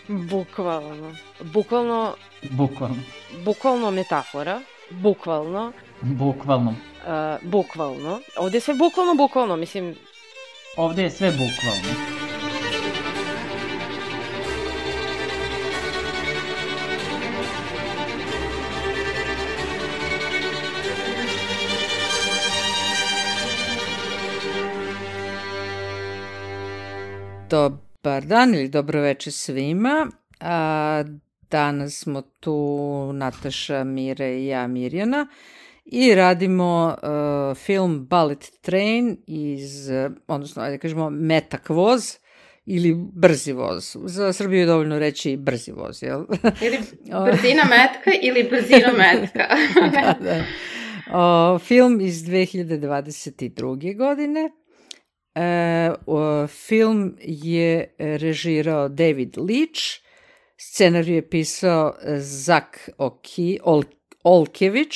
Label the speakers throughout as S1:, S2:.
S1: Bukvalno. Bukvalno,
S2: Bukvalno.
S1: bukvalno metafora. Bukvalno.
S2: Bukvalno.
S1: Bukvalno. Ovde je sve bukvalno, mislim...
S2: Ovde je sve bukvalno.
S3: Dobar dan ili dobro večer svima. Danas smo tu Nataša, Mire i ja, Mirjana, i radimo film Bullet Train odnosno, ajde kažemo, metak voz ili brzi voz. Za Srbiju je dovoljno reći brzi voz, jel?
S4: Ili brzina metka ili brzina metka.
S3: Da. Film iz 2022. godine. Film je režirao David Leitch, scenarij je pisao Zak Olkević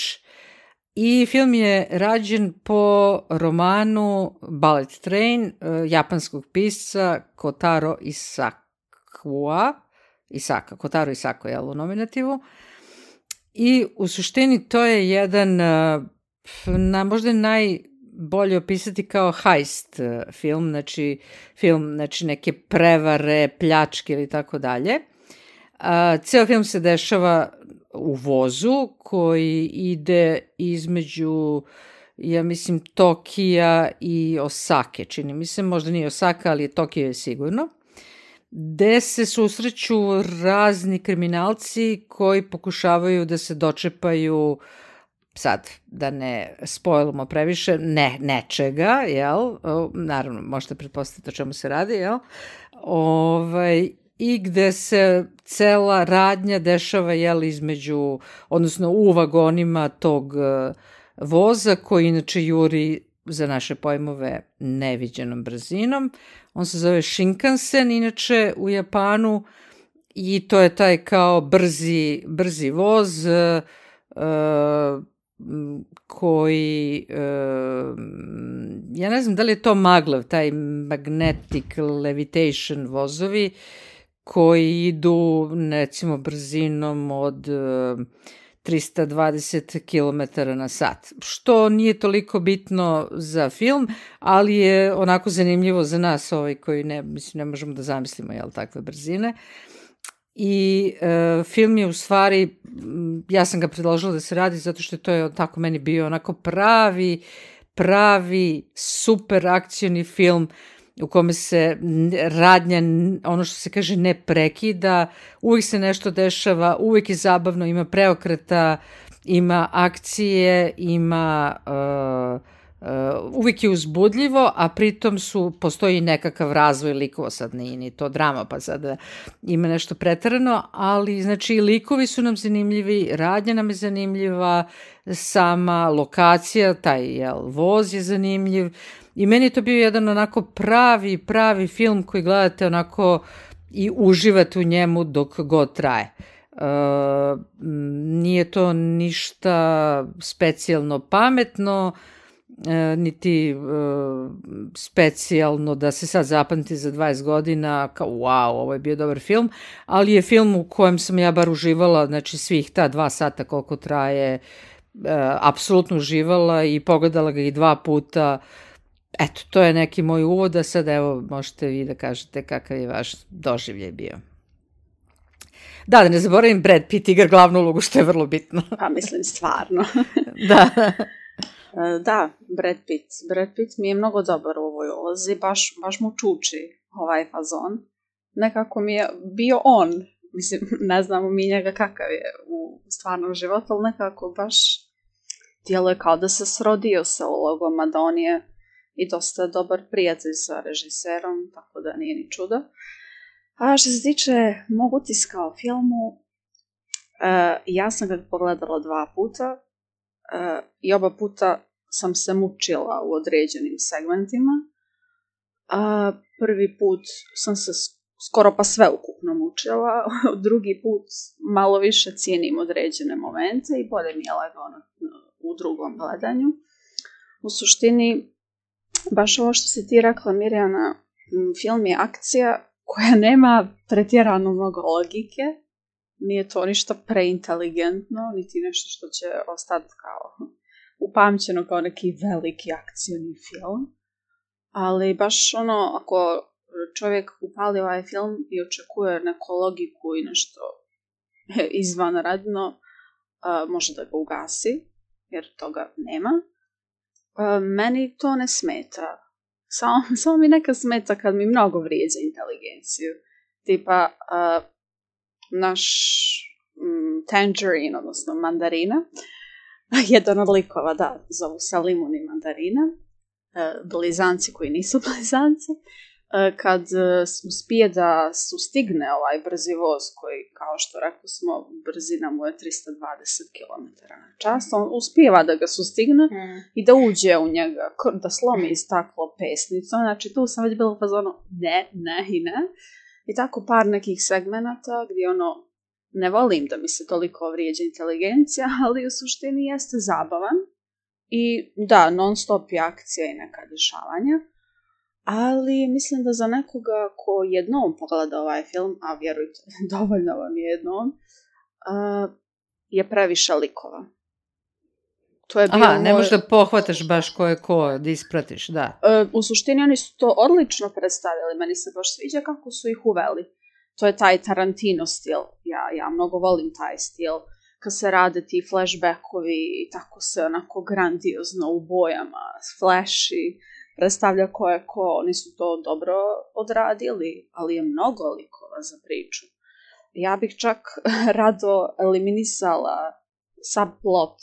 S3: i film je rađen po romanu Bullet Train japanskog pisca Kotaro Isako, jel, u nominativu. I u suštini to je jedan, možda najbolje opisati kao heist film, znači neke prevare, pljačke ili tako dalje. Ceo film se dešava u vozu koji ide između, ja mislim, Tokija i Osake, čini mi se, možda nije Osaka, ali Tokio je sigurno, gde se susreću razni kriminalci koji pokušavaju da se dočepaju, sad, da ne spojlamo previše, nečega, jel? Naravno, možete pretpostaviti o čemu se radi, jel? I gde se cela radnja dešava, jel, između, odnosno u vagonima tog voza, koji inače juri, za naše pojmove, neviđenom brzinom. On se zove Shinkansen, inače, u Japanu, i to je taj kao brzi voz koji, ja ne znam da li je to maglev, taj magnetic levitation vozovi, koji idu, recimo, brzinom od 320 km na sat, što nije toliko bitno za film, ali je onako zanimljivo za nas koji ne možemo da zamislimo, jel, takve brzine. I film je u stvari, ja sam ga predložila da se radi zato što to je tako meni bio onako pravi super akcioni film u kome se radnja, ono što se kaže, ne prekida, uvijek se nešto dešava, uvijek je zabavno, ima preokreta, ima akcije, ima uvijek je uzbudljivo, a pritom postoji nekakav razvoj likova, sad nije ni to drama, pa sad ima nešto preterano, ali znači likovi su nam zanimljivi, radnja nam je zanimljiva, sama lokacija, taj voz je zanimljiv, i meni je to bio jedan onako pravi film koji gledate onako i uživate u njemu dok god traje. Nije to ništa specijalno pametno, niti specijalno da se sad zapamti za 20 godina kao wow, ovo je bio dobar film, ali je film u kojem sam ja bar uživala, znači svih ta 2 sata koliko traje, apsolutno uživala i pogledala ga i 2 puta. Eto, to je neki moj uvod, a sad evo možete vi da kažete kakav je vaš doživljaj bio. Da ne zaboravim, Brad Pitt igra glavnu ulogu, što je vrlo bitno.
S4: Pa mislim, stvarno.
S3: Da.
S4: Da, Brad Pitt mi je mnogo dobar u ovoj ulozi, baš mu čuči ovaj fazon. Nekako mi je bio on, mislim, ne znamo mi njega kakav je u stvarnom životu, ali nekako baš djeluje kao da se srodio sa ulogom, a da on je i dosta dobar prijatelj sa režiserom, tako da nije ni čudo. A što se tiče mog utiska o filmu, ja sam ga pogledala 2 puta i oba puta sam se mučila u određenim segmentima. Prvi put sam se skoro pa sve ukupno mučila, drugi put malo više cijenim određene momente i bolje mi je lagano u drugom gledanju. U suštini, baš ovo što si ti rekla, Mirjana, film je akcija koja nema pretjerano mnogo logike. Nije to ništa preinteligentno, niti nešto što će ostati kao upamćeno kao neki veliki akcioni film. Ali baš ako čovjek upali ovaj film i očekuje neku logiku i nešto izvanredno, može da ga ugasi, jer toga nema. Meni to ne smeta. Samo mi neka smeta kad mi mnogo vrijeđa inteligenciju. Tipa, naš Tangerine, odnosno mandarina, jedan od likova, da, zovu se Limun i mandarina, blizanci koji nisu blizanci, kad uspije da sustigne ovaj brzi voz koji, kao što rekli smo, brzina mu je 320 km/h, on uspijeva da ga sustigne i da uđe u njega, da slomi staklo pesnicom. Znači tu sam već bila u fazonu ne i ne. I tako par nekih segmenata gdje ne volim da mi se toliko vrijeđa inteligencija, ali u suštini jeste zabavan. I da, non stop je akcija i neka dešavanja. Ali mislim da za nekoga ko jednom pogleda ovaj film, a vjerujte, dovoljno vam je jednom, je previše likova. To je bio
S3: ne možeš da pohvataš baš ko je ko, da ispratiš, da.
S4: U suštini oni su to odlično predstavili, meni se baš sviđa kako su ih uveli. To je taj Tarantino stil, ja mnogo volim taj stil, kad se rade ti flashbackovi i tako se onako grandiozno u bojama, flashi, predstavlja ko je ko, oni su to dobro odradili, ali je mnogo likova za priču. Ja bih čak rado eliminisala subplot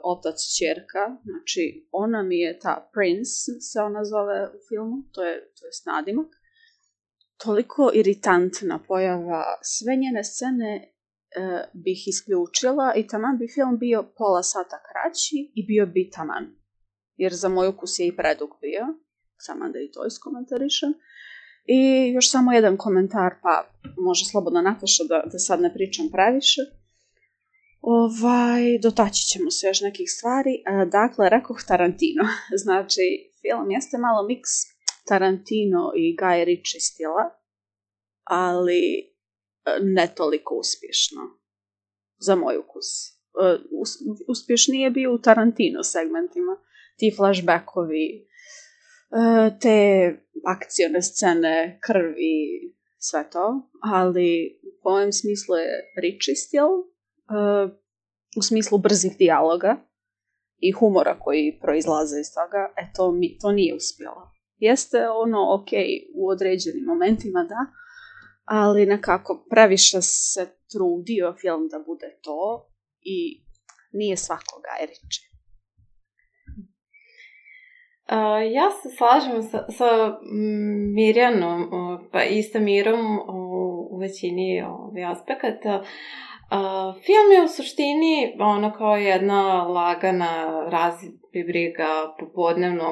S4: otac ćerka, znači ona mi je ta Prince, se ona zove u filmu, to je nadimak. Toliko iritantna pojava, sve njene scene bih isključila i taman bi film bio pola sata kraći i bio bi taman. Jer za moj ukus je i predug bio, samo da i to iskomentarišem. I još samo jedan komentar, pa može slobodno Nataša da sad ne pričam previše. Dotaći ćemo se još nekih stvari. Dakle, rekoh Tarantino. Znači, film jeste malo miks Tarantino i Guy Ritchie stila, ali ne toliko uspješno. Za moj ukus. Uspješnije bio u Tarantino segmentima. Ti flashbackovi, te akcione scene, krvi, sve to. Ali po mojem smislu je Ritchie stil, u smislu brzih dijaloga i humora koji proizlaze iz toga, to nije uspjelo. Jeste ok u određenim momentima, da, ali nekako previše se trudio film da bude to i nije svakoga Ritchie.
S5: Ja se slažem sa Mirjanom, pa i sa Mirom u većini aspekata. Film je u suštini kao jedna lagana razbriga popodnevno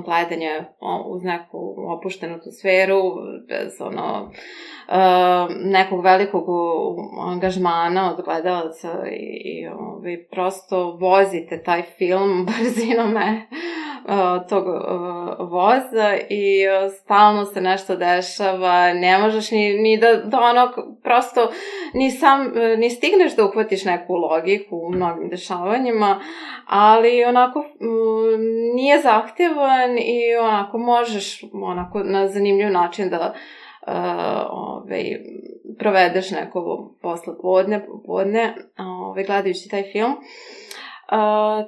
S5: gledanje uz neku opuštenu atmosferu, bez nekog velikog angažmana od gledalaca i prosto vozite taj film brzinom tog voza i stalno se nešto dešava, ne možeš ni da prosto ni stigneš da uhvatiš neku logiku u mnogim dešavanjima, ali nije zahtjevan i možeš na zanimljiv način da provedeš neko poslepodne gledajući taj film.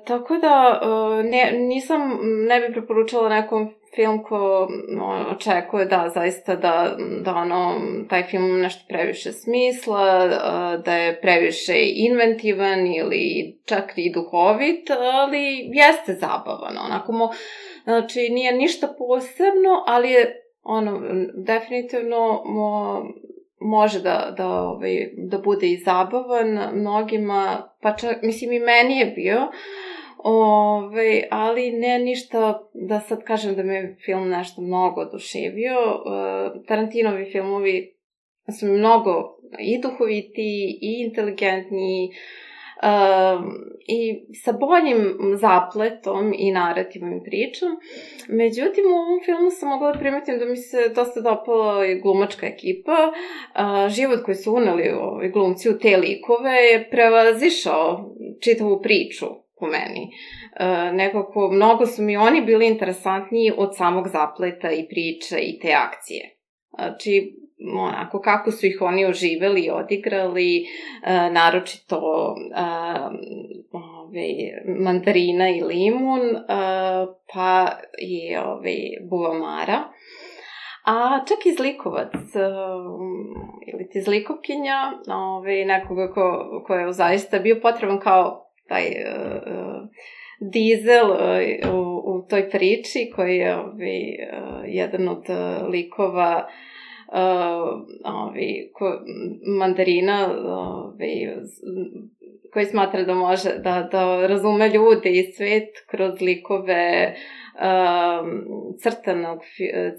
S5: Tako da ne bi preporučala nekom film ko očekuje da zaista da taj film nešto previše smisla, da je previše inventivan ili čak i duhovit, ali jeste zabavan. Znači nije ništa posebno, ali je definitivno može da bude i zabavan mnogima, pa čak, mislim i meni je bio, ali ne ništa da sad kažem da me film nešto mnogo oduševio. Tarantinovi filmovi su mnogo i duhoviti i inteligentni, i sa boljim zapletom i narativom i pričom. Međutim, u ovom filmu sam mogla da primetim da mi se dosta dopala i glumačka ekipa. Život koji su uneli glumci u te likove je prevazišao čitavu priču po meni. Nekako, mnogo su mi oni bili interesantniji od samog zapleta i priče i te akcije. Znači, onako, kako su ih oni oživeli i odigrali, naročito mandarina i limun, pa i buvamara. A čak i zlikovac, ili ti zlikovkinja, nekoga ko je zaista bio potreban kao taj dizel u toj priči, koji je jedan od likova mandarina, koji smatra da može da razume ljude i svet kroz likove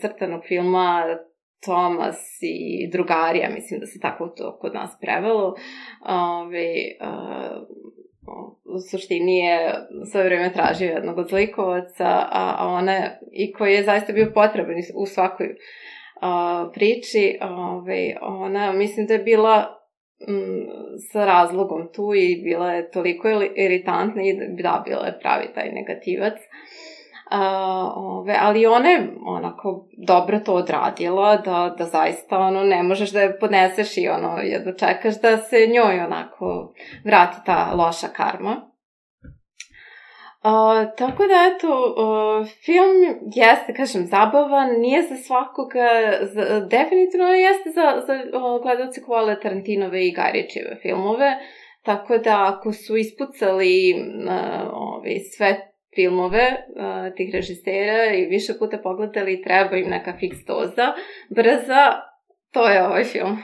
S5: crtanog filma Thomas i drugarija, mislim da se tako to kod nas prevelo. U suštini je sve vreme tražio jednog od zlikovaca, a ona, i koji je zaista bio potreban u svakoj priči, ona mislim da je bila sa razlogom tu i bila je toliko iritantna i da, bila je pravi taj negativac. Ali ona je onako dobro to odradila, da zaista ne možeš da je podneseš i jedno čekaš da se njoj onako vrati ta loša karma. Tako da, eto, film jeste, kažem, zabavan, nije za svakoga, definitivno jeste za gledalce ko vole Tarantinove i Guy Ritchijeve filmove, tako da ako su ispucali sve filmove tih režisera i više puta pogledali i treba im neka fiks doza, brza, to je ovaj film.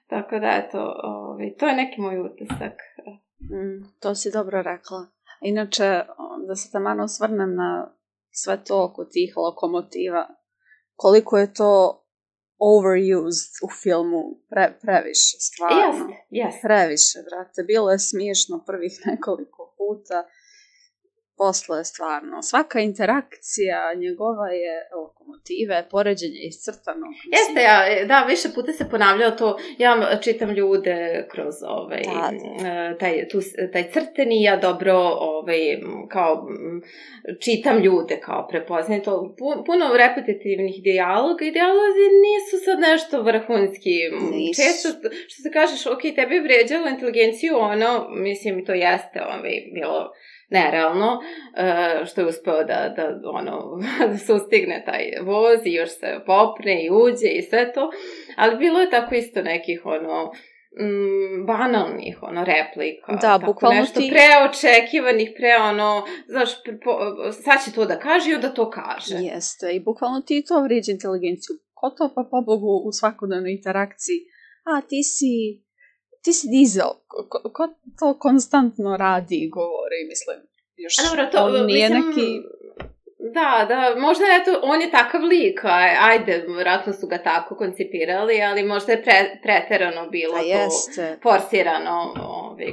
S5: Tako da, eto, to je neki moj utisak.
S4: To si dobro rekla. Inače, da se taman osvrnem na sve to oko tih lokomotiva, koliko je to overused u filmu, previše, stvarno.
S5: Yes.
S4: Previše, brate. Bilo je smiješno prvih nekoliko puta, posle je stvarno. Svaka interakcija njegova je lokomotive, poređenje iscrtano.
S5: Jeste, da, više puta se ponavljao to. Ja čitam ljude kroz taj crteni, ja dobro kao čitam ljude, kao prepoznajem to. Puno repetitivnih dijaloga i dijalozi nisu sad nešto vrhunski. Često, što se kažeš, ok, tebi je vređalo inteligenciju, mislim, to jeste bilo nerealno, što je uspeo da sustigne taj voz i još se popne i uđe i sve to, ali bilo je tako isto nekih banalnih replika,
S4: da, bukvalno
S5: nešto preočekivanih, znaš, sad će to da kaže i onda to kaže.
S4: Jeste, i bukvalno ti to vrijeđa inteligenciju. Ko to pa pobogu u svakodnevnoj interakciji? Ti si dizel, ko to konstantno radi i govori, mislim, još on nije neki...
S5: Da, možda eto, on je takav lik, ajde, vjerojatno su ga tako koncipirali, ali možda je preterano bilo to, forsirano.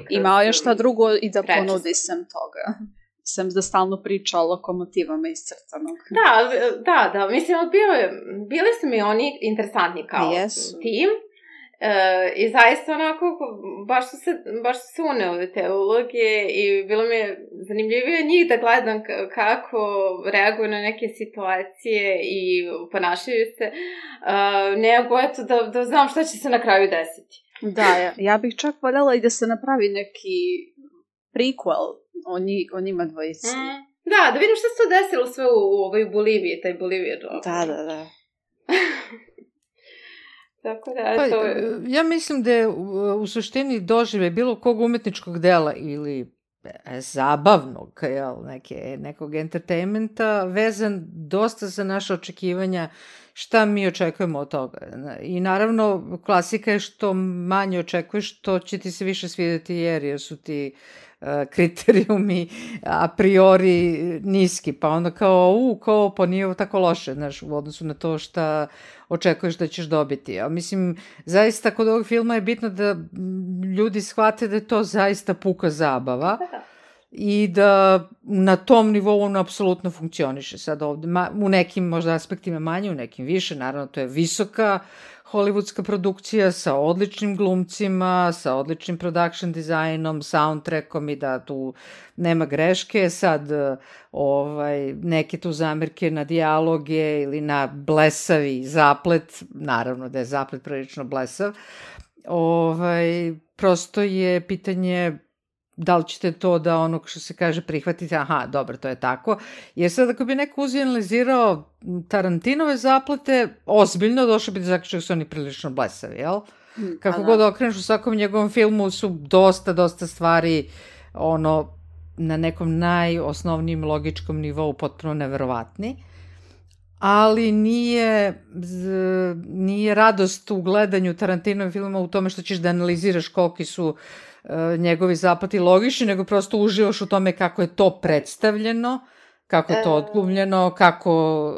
S4: Imao je šta drugo i da ponudi sem toga. Sem da stalno priča o lokomotivama iz crtanog.
S5: Da, mislim, bili su mi oni interesantni kao tim. I zaista onako, baš su se uneli te uloge i bilo mi je zanimljivije njih da gledam kako reaguju na neke situacije i ponašaju se, nego eto da znam šta će se na kraju desiti.
S4: Da, ja bih čak voljela i da se napravi neki prequel o njima dvojici.
S5: Da vidim šta se to desilo sve u Boliviji, taj Bolivija.
S4: Da.
S5: Tako da, to je...
S3: Ja mislim da je u suštini dožive bilo kog umetničkog dela ili zabavnog, nekog entertainmenta, vezan dosta za naše očekivanja šta mi očekujemo od toga. I naravno, klasika je što manje očekuješ, to će ti se više svidjeti jer su ti kriterijumi a priori niski, pa onda pa nije ovo tako loše, znaš, u odnosu na to šta očekuješ da ćeš dobiti. A mislim, zaista kod ovog filma je bitno da ljudi shvate da je to zaista puka zabava i da na tom nivou on apsolutno funkcioniše. Sad ovde, u nekim možda aspektima manje, u nekim više, naravno to je visoka hollywoodska produkcija sa odličnim glumcima, sa odličnim production dizajnom, soundtrackom i da tu nema greške. Sad neke tu zamerke na dijaloge ili na blesavi zaplet, naravno da je zaplet prilično blesav, prosto je pitanje da li ćete to da ono što se kaže prihvatiti, aha, dobro, to je tako. Jer sad ako bi neko analizirao Tarantinove zaplete, ozbiljno došao bi do zaključka da su oni prilično blesavi, jel? Kako god okreneš, u svakom njegovom filmu su dosta stvari na nekom najosnovnijem logičkom nivou potpuno neverovatni. Ali nije radost u gledanju Tarantinove filma u tome što ćeš da analiziraš koliki su njegovi zaplati logični, nego prosto uživaš u tome kako je to predstavljeno, kako je to odglumljeno, kako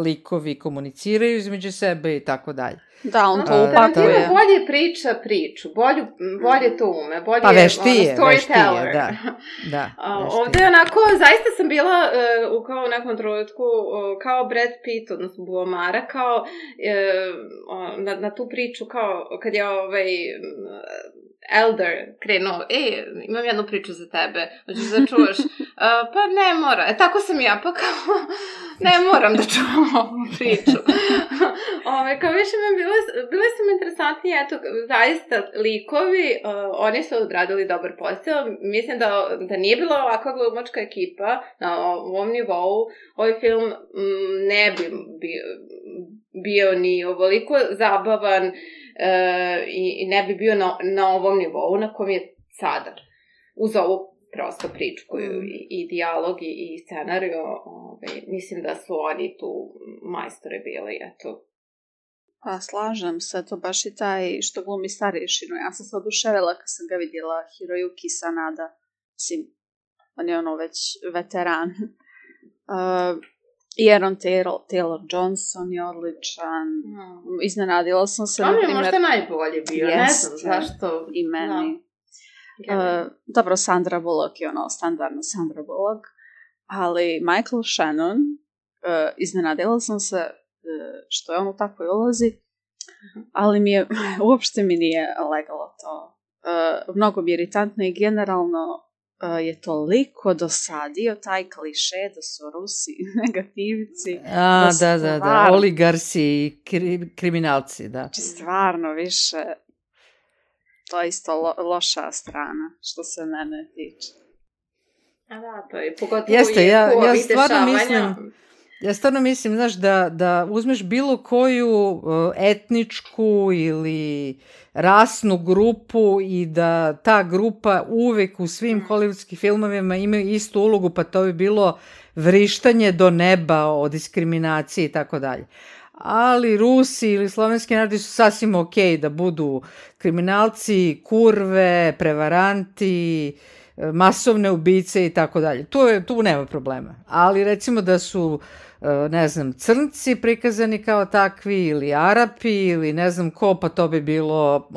S3: likovi komuniciraju između sebe i tako dalje.
S4: Da, on to upakuje.
S5: Bolje priča priču, bolje to ume, bolje
S3: veštije,
S5: storyteller.
S3: Da.
S5: Ovde onako, zaista sam bila kao u nekom trenutku kao Brad Pitt, odnosno Buomara, kao na tu priču, kao kad je Elder krenuo, imam jednu priču za tebe, hoćeš da čuvaš? Pa ne mora, tako sam ja, pa kao, ne moram da čuvam ovu priču. Kao više bile su mi interesantni, eto, zaista likovi, oni su odradili dobar posao, mislim da nije bila ovakva glumačka ekipa na ovom nivou, ovaj film ne bi bio ni ovoliko zabavan, i ne bi bio na ovom nivou na kom je sada. Uz ovu prosto priču koju i dijalog i scenariju, mislim da su oni tu majstore bili, eto.
S4: Pa slažem se, to baš i taj što glumi starješinu. Ja sam se oduševila kad sam ga vidjela, Hiroyuki Sanada. Mislim, on je već veteran. I Aaron Taylor-Johnson je odličan. Iznenadila sam se,
S5: on je možda najbolje bio, ne znam zašto.
S4: I meni. Dobro, Sandra Bullock je standardno Sandra Bullock, ali Michael Shannon, iznenadila sam se što je on u takvoj ulozi, ali uopšte mi nije legalo to. Mnogo mi je iritantno i generalno je toliko dosadio taj kliše da su Rusi negativci.
S3: Da, oligarsi i kriminalci, da.
S4: Znači, stvarno više, to je isto loša strana, što se mene tiče.
S5: Da, to je pogotovo
S3: Ja stvarno mislim, znaš, da uzmeš bilo koju etničku ili rasnu grupu i da ta grupa uvek u svim hollywoodskim filmovima imaju istu ulogu, pa to bi bilo vrištanje do neba o diskriminaciji i tako dalje. Ali Rusi ili slovenski narodi su sasvim okej da budu kriminalci, kurve, prevaranti, masovne ubice i tako dalje. Tu nema problema. Ali recimo da su, ne znam, crnci prikazani kao takvi ili Arapi ili ne znam ko, pa to bi bilo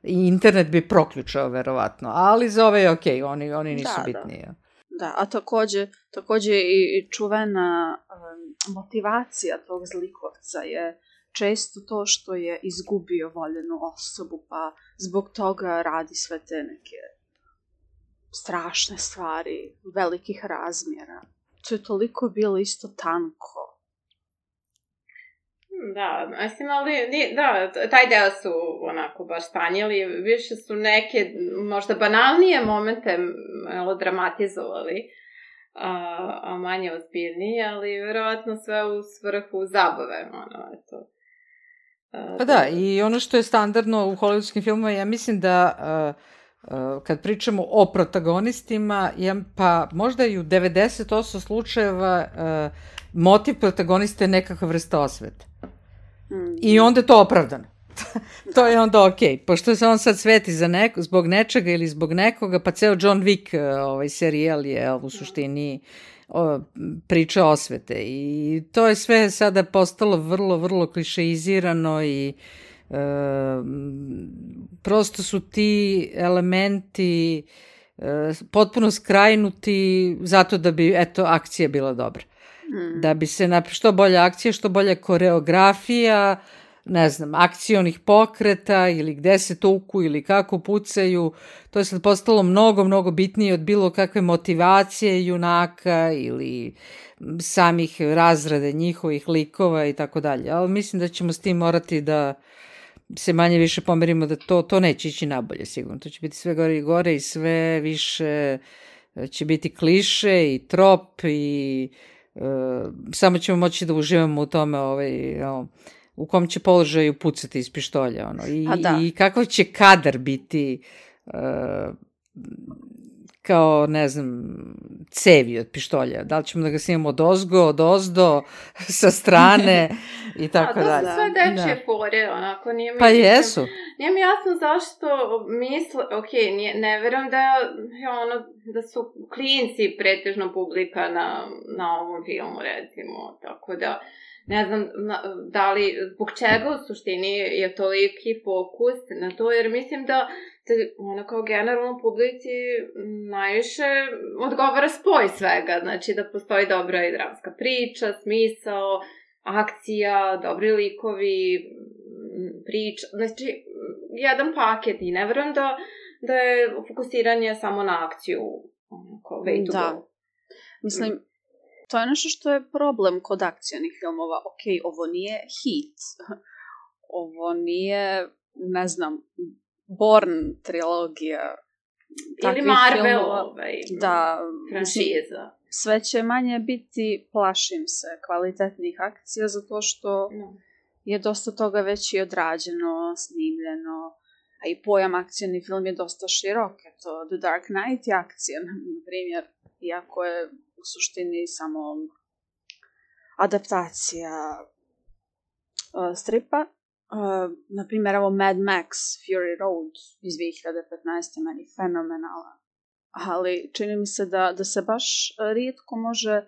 S3: i internet bi proključao verovatno. Ali za ove je okej, oni nisu bitni.
S4: Da, a takođe i čuvena motivacija tog zlikovca je često to što je izgubio voljenu osobu, pa zbog toga radi sve te neke strašne stvari, velikih razmjera. To je toliko bilo isto tanko.
S5: Da, mislim, ali da, taj deo su onako baš stanjili, više su neke možda banalnije momente dramatizovali, a manje ozbiljnije, ali vjerovatno sve u svrhu zabave, eto.
S3: Pa da, i ono što je standardno u hollywoodskim filmovima, ja mislim da kad pričamo o protagonistima, pa možda i u 90% slučajeva motiv protagoniste je nekakva vrsta osvete. I onda je to opravdano. To je onda okej. Pošto se on sad sveti zbog nečega ili zbog nekoga, pa ceo John Wick serijal je u suštini priča osvete. I to je sve sada postalo vrlo, vrlo klišeizirano i prosto su ti elementi potpuno skrajnuti zato da bi, eto, akcija bila dobra. Da bi se što bolja akcija, što bolja koreografija, ne znam, akcionih pokreta ili gde se tuku ili kako pucaju, to je sad postalo mnogo, mnogo bitnije od bilo kakve motivacije junaka ili samih razrade njihovih likova i tako dalje. Ali mislim da ćemo s tim morati da se manje više pomerimo da to neće ići nabolje sigurno. To će biti sve gore i gore i sve više će biti kliše i trop i samo ćemo moći da uživamo u tome u kom će položaju pucati iz pištolja. I kakav će kadar biti kao, ne znam, cevi od pištolja. Da li ćemo da ga snimamo od ozgo, od ozdo, sa strane i tako dalje.
S5: To su sve dečje fore, onako.
S3: Pa jesu.
S5: Nije mi jasno zašto misle, ne verujem da su klinci pretežno publika na ovom filmu, recimo, tako da ne znam zbog čega u suštini je toliki fokus na to, jer mislim da kao generalno publici najviše odgovara spoj svega, znači da postoji dobra i dramska priča, smisao, akcija, dobri likovi, priča, znači jedan paket i ne verujem da je fokusiranje samo na akciju way to go.
S4: Mislim, to je nešto što je problem kod akcionih filmova. Ovo nije hit. Ovo nije, ne znam, Bourne trilogija.
S5: Ili Marvel
S4: franšiza. Sve će manje biti, plašim se, kvalitetnih akcija, zato što je dosta toga već i odrađeno, snimljeno, a i pojam akcijni film je dosta širok. The Dark Knight je akcija, na primjer, iako je u suštini samo adaptacija stripa. Naprimjer, evo Mad Max Fury Road iz 2015. meni fenomenalan. Ali čini mi se da se baš rijetko može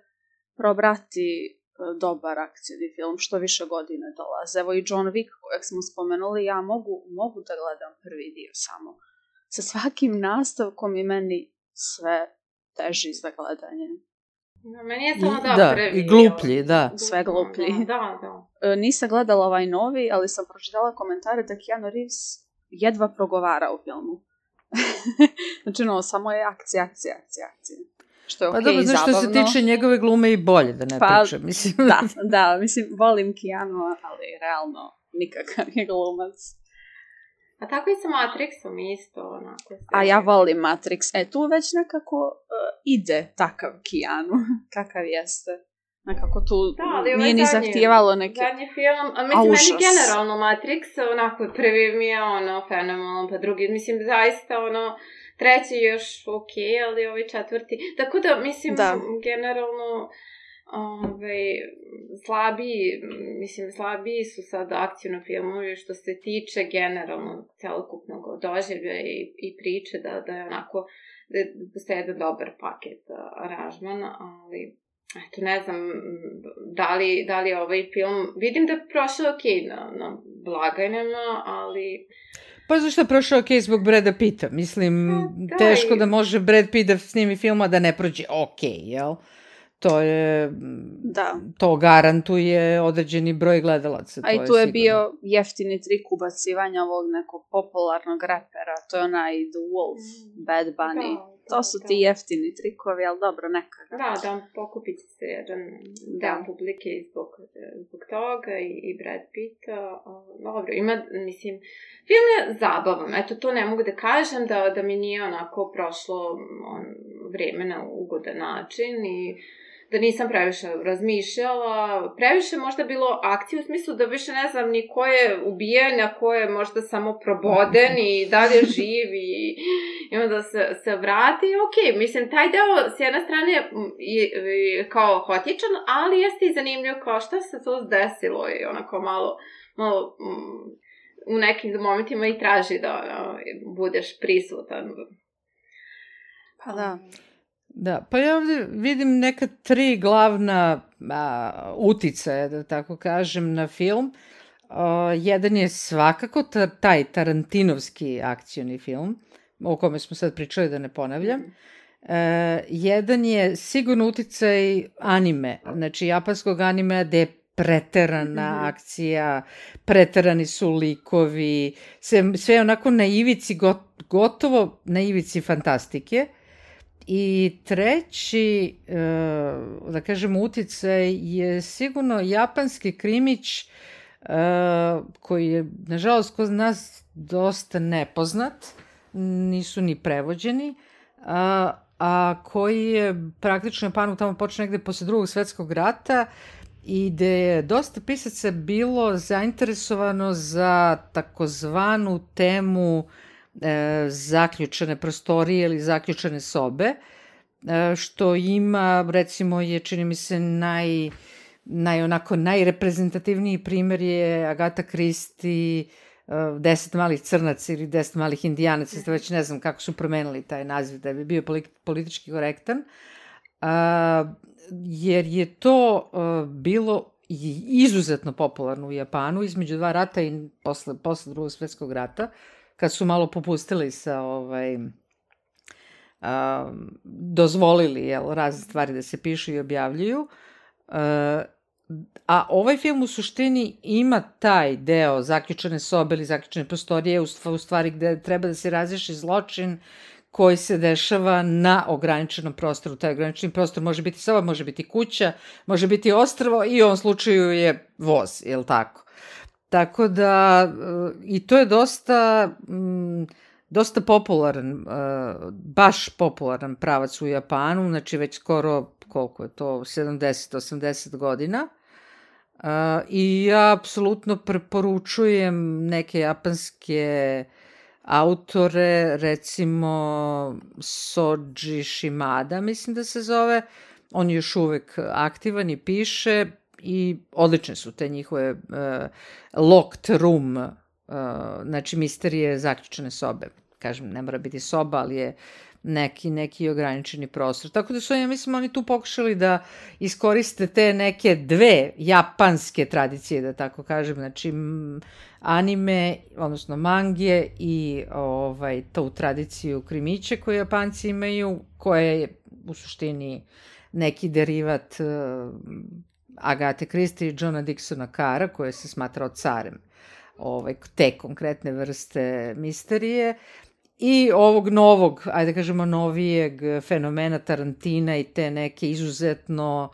S4: probrati dobar akcijni film, što više godine dolaze. Evo i John Wick, kojeg smo spomenuli, ja mogu da gledam prvi dio samo. Sa svakim nastavkom i meni sve teži za gledanje.
S5: Meni je samo prvi.
S3: I gluplji, da.
S4: Sve gluplji.
S5: Da.
S4: Nisam gledala ovaj novi, ali sam pročitala komentare da Keanu Reeves jedva progovara u filmu. Znači, samo je akcija. Što je
S3: dobro,
S4: zabavno.
S3: Što se tiče njegove glume i bolje, da ne pričam. Mislim.
S4: Da, mislim, volim Keanu, ali realno nikakav je glumac.
S5: A tako i sa Matrixom isto, onako.
S4: A ja volim Matrix. Tu već nekako ide takav Keanu, kakav jeste. Nekako tu nije ni zahtijevalo neke...
S5: Zadnji film, mislim, meni generalno Matrix, onako, prvi mi je fenomenalan, pa drugi, mislim, zaista, treći još ali ovi četvrti. Tako da, mislim, generalno... slabiji su sad akcijno filmovi što se tiče generalno celokupnog doživlja i priče da je onako da postoje jedan dobar paket aranžman, ali eto ne znam da li ovaj film vidim da je prošao na blagajnama, ali
S3: pa zašto je prošao zbog Brada Pitta, mislim teško da može Brad Pitt da snimi film a da ne prođe jel? To garantuje određeni broj gledalaca.
S4: A i tu je bio jeftini trik ubacivanja ovog nekog popularnog repera, to je onaj The Wolf, Bad Bunny. To su ti jeftini trikovi, ali dobro, nekada.
S5: Da pokupit se jedan dan publike zbog toga i Brad Pitta. Dobro, mislim, film je zabavan, eto to ne mogu da kažem da mi nije onako prošlo vreme na ugodan način i da nisam previše razmišljala, previše možda bilo akcije u smislu da više ne znam ni ko je ubijen, a ko je možda samo proboden i dalje živ i onda se vrati. Mislim, taj deo s jedne strane je kao hotičan, ali jeste i zanimljivo kao šta se to desilo i onako malo u nekim momentima i traži da budeš prisutan.
S4: Pa da.
S3: Da, pa ja ovdje vidim neka 3 glavna uticaja, da tako kažem, na film. Jedan je svakako taj Tarantinovski akcioni film, o kome smo sad pričali, da ne ponavljam. Jedan je sigurno uticaj anime, znači japanskog anime, gde je preterana akcija, preterani su likovi, sve je onako na ivici, gotovo na ivici fantastike. I treći, da kažem, uticaj je sigurno japanski krimić, koji je, nažalost, kod nas dosta nepoznat, nisu ni prevođeni, a koji je praktično Japanu tamo počeo negde posle Drugog svetskog rata i gde je dosta pisaca bilo zainteresovano za takozvanu temu zaključane prostorije ili zaključane sobe, što ima, recimo, je, čini mi se, najreprezentativniji primer je Agatha Christie, 10 malih crnaca ili 10 malih indijanaca, već ne znam kako su promenili taj naziv da bi bio politički korektan, jer je to bilo izuzetno popularno u Japanu između dva rata i posle Drugog svetskog rata, kad su malo popustili sa dozvolili razne stvari da se pišu i objavljuju. A ovaj film u suštini ima taj deo zaključane sobe ili zaključane prostorije, u stvari gde treba da se razreši zločin koji se dešava na ograničenom prostoru. Taj ograničeni prostor može biti soba, može biti kuća, može biti ostrvo i u ovom slučaju je voz, je li tako? Tako da, i to je dosta popularan, baš popularan pravac u Japanu, znači već skoro, koliko je to, 70-80 godina. I ja apsolutno preporučujem neke japanske autore, recimo Soji Shimada, mislim da se zove, on je još uvek aktivan i piše i odlične su te njihove locked room, znači misterije zaključane sobe. Kažem, ne mora biti soba, ali je neki ograničeni prostor. Tako da su, ja mislim, oni tu pokušali da iskoriste te neke dve japanske tradicije, da tako kažem, znači anime, odnosno mange i tu tradiciju krimiće koju Japanci imaju, koja je u suštini neki derivat Agathe Christie i Johna Dixona Carra, koje se smatrao carem te konkretne vrste misterije, i ovog novog, ajde kažemo novijeg fenomena Tarantina i te neke izuzetno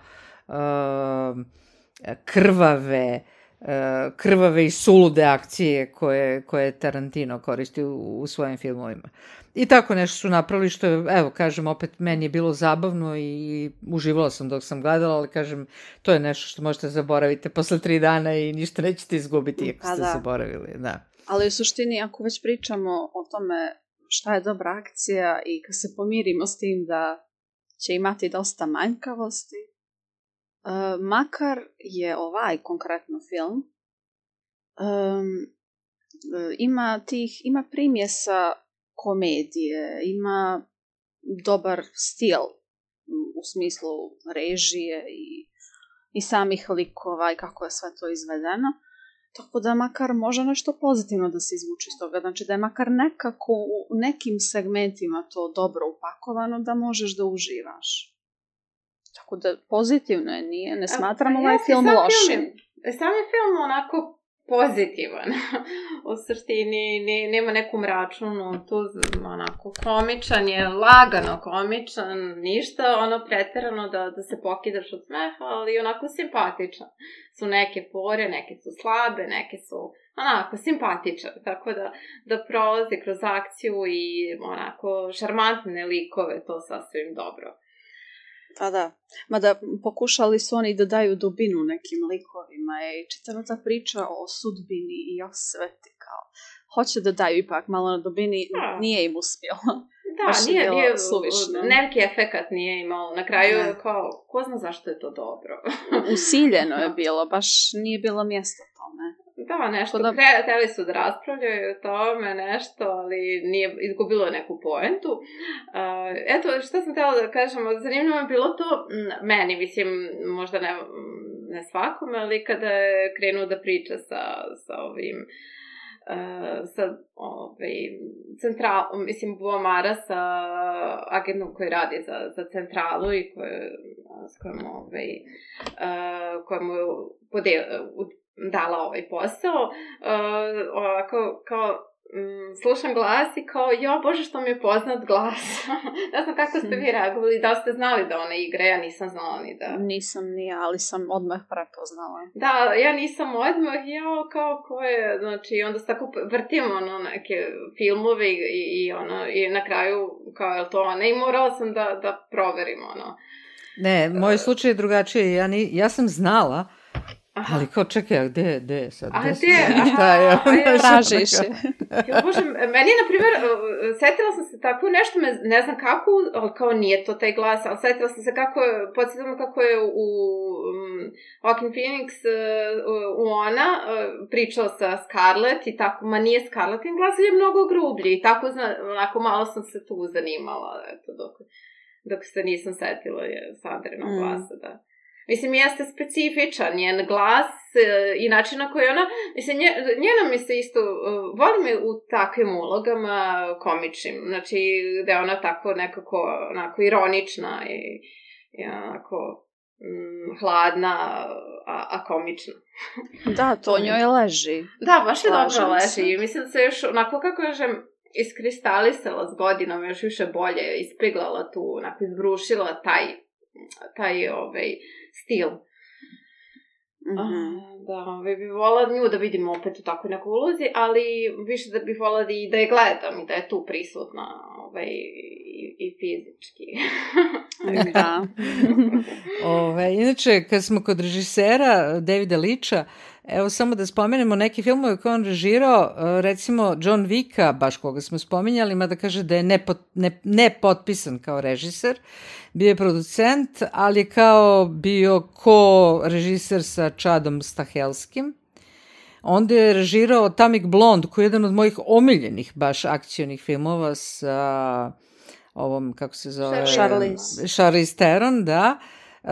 S3: krvave i sulude akcije koje Tarantino koristi u svojim filmovima. I tako nešto su napravili što je, evo, kažem, opet meni je bilo zabavno i uživala sam dok sam gledala, ali kažem, to je nešto što možete zaboraviti posle 3 dana i ništa nećete izgubiti ako ste zaboravili. Da.
S4: Ali u suštini, ako već pričamo o tome šta je dobra akcija i kad se pomirimo s tim da će imati dosta manjkavosti, makar je ovaj konkretno film, ima primjesa komedije, ima dobar stil u smislu režije i samih likova i kako je sve to izvedeno. Tako da makar može nešto pozitivno da se izvuči iz toga. Znači da je makar nekako u nekim segmentima to dobro upakovano da možeš da uživaš. Tako da pozitivno je, ne smatram ovaj film lošim.
S5: Sam je film onako pozitivan. U suštini nema neku mračnu notu, onako komičan je, lagano komičan, ništa ono preterano da se pokidaš od smeha, ali onako simpatičan. Su neke pore, neke su slabe, neke su onako simpatičan, tako da prolazi kroz akciju i onako šarmantne likove, to sasvim dobro.
S4: Pa da, mada pokušali su oni da daju dubinu nekim likovima i čitava ta priča o sudbini i osveti, kao hoće da daju ipak malo na dubini, nije im uspjelo.
S5: Da, nije suvišno. Neki efekat nije imao. Na kraju kao, ko zna zašto je to dobro.
S4: Usiljeno je bilo, baš nije bilo mjesto tome.
S5: Da, nešto, hteli su da raspravljaju o tome, nešto, ali nije izgubilo neku poentu. Eto, što sam htjela da kažem, zanimljivo je bilo to, meni, mislim, možda ne svakome, ali kada je krenuo da priča sa ovim Boa Mara sa agentom koji radi za centralu i s kojom dala ovaj posao, ovako kao slušam glas i kao, jo bože što mi je poznat glas. Ne znam kako ste vi reagovali, da ste znali da ona igra, ja nisam znala ni da.
S4: Nisam ni ja, ali sam odmah prepoznala.
S5: Da, ja nisam odmah, kao ko je, znači onda se tako vrtimo neke filmove i na kraju kao je to ona i morala sam da proverim
S3: Ne, moj slučaj je drugačiji, ja sam znala. Aha. Ali kao, čekaj, gde je sad?
S4: Tražiš.
S5: Bože, meni je, na primjer, setila sam se tako nešto, ne znam kako, ali kao nije to taj glas, ali setila sam se podsjetila kako je u Joaquin Phoenix u Ona pričao sa Scarlett i tako, ma nije Scarlettin glas, je mnogo grublji i tako, onako malo sam se tu zanimala, eto, dok se nisam setila Sandrinog glasa, da. Mislim, jeste specifičan njen glas i način na koji ona... Mislim, njena mi se isto... Volim je u takvim ulogama komičnim. Znači, da je ona tako nekako onako ironična i onako hladna, a komična.
S4: Da, to njoj leži.
S5: Da, baš je dobro leži. Mislim da se još onako, kako kažem, iskristalisala s godinom, još više bolje ispeglala tu, onako izbrušila taj stil. Da, bi volila nju da vidim opet u takvoj nekoj ulozi, ali više da bih volila da je gledam i da je tu prisutna i fizički.
S4: Da.
S3: Inače, kad smo kod režisera Davida Leitcha, evo samo da spomenemo neke filmove koje on režirao, recimo John Wicka, baš koga smo spominjali, mada kaže da je nepotpisan kao režiser, bio je producent, ali je kao bio ko-režiser sa Chadom Stahelskim. Onda je režirao Atomic Blonde, koji je jedan od mojih omiljenih baš akcionih filmova sa ovom, kako se zove? Charlize Theron, da.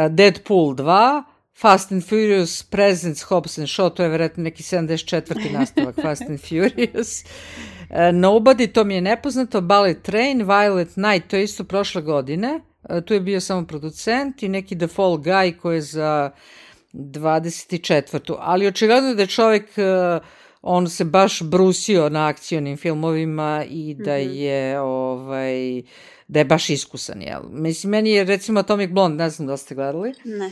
S3: Deadpool 2, Fast and Furious, Presents, Hobbs and Shaw, to je vjerojatno neki 74. nastavak Fast and Furious. Nobody, to mi je nepoznato, Ballet Train, Violet Night, to je isto prošle godine. Tu je bio samo producent i neki The Fall Guy koji je za 24. Ali očigledno da je čovjek, on se baš brusio na akcionim filmovima i da je da je baš iskusan, jel? Mislim, meni je recimo Atomic Blonde, ne znam da ste gledali.
S4: Ne.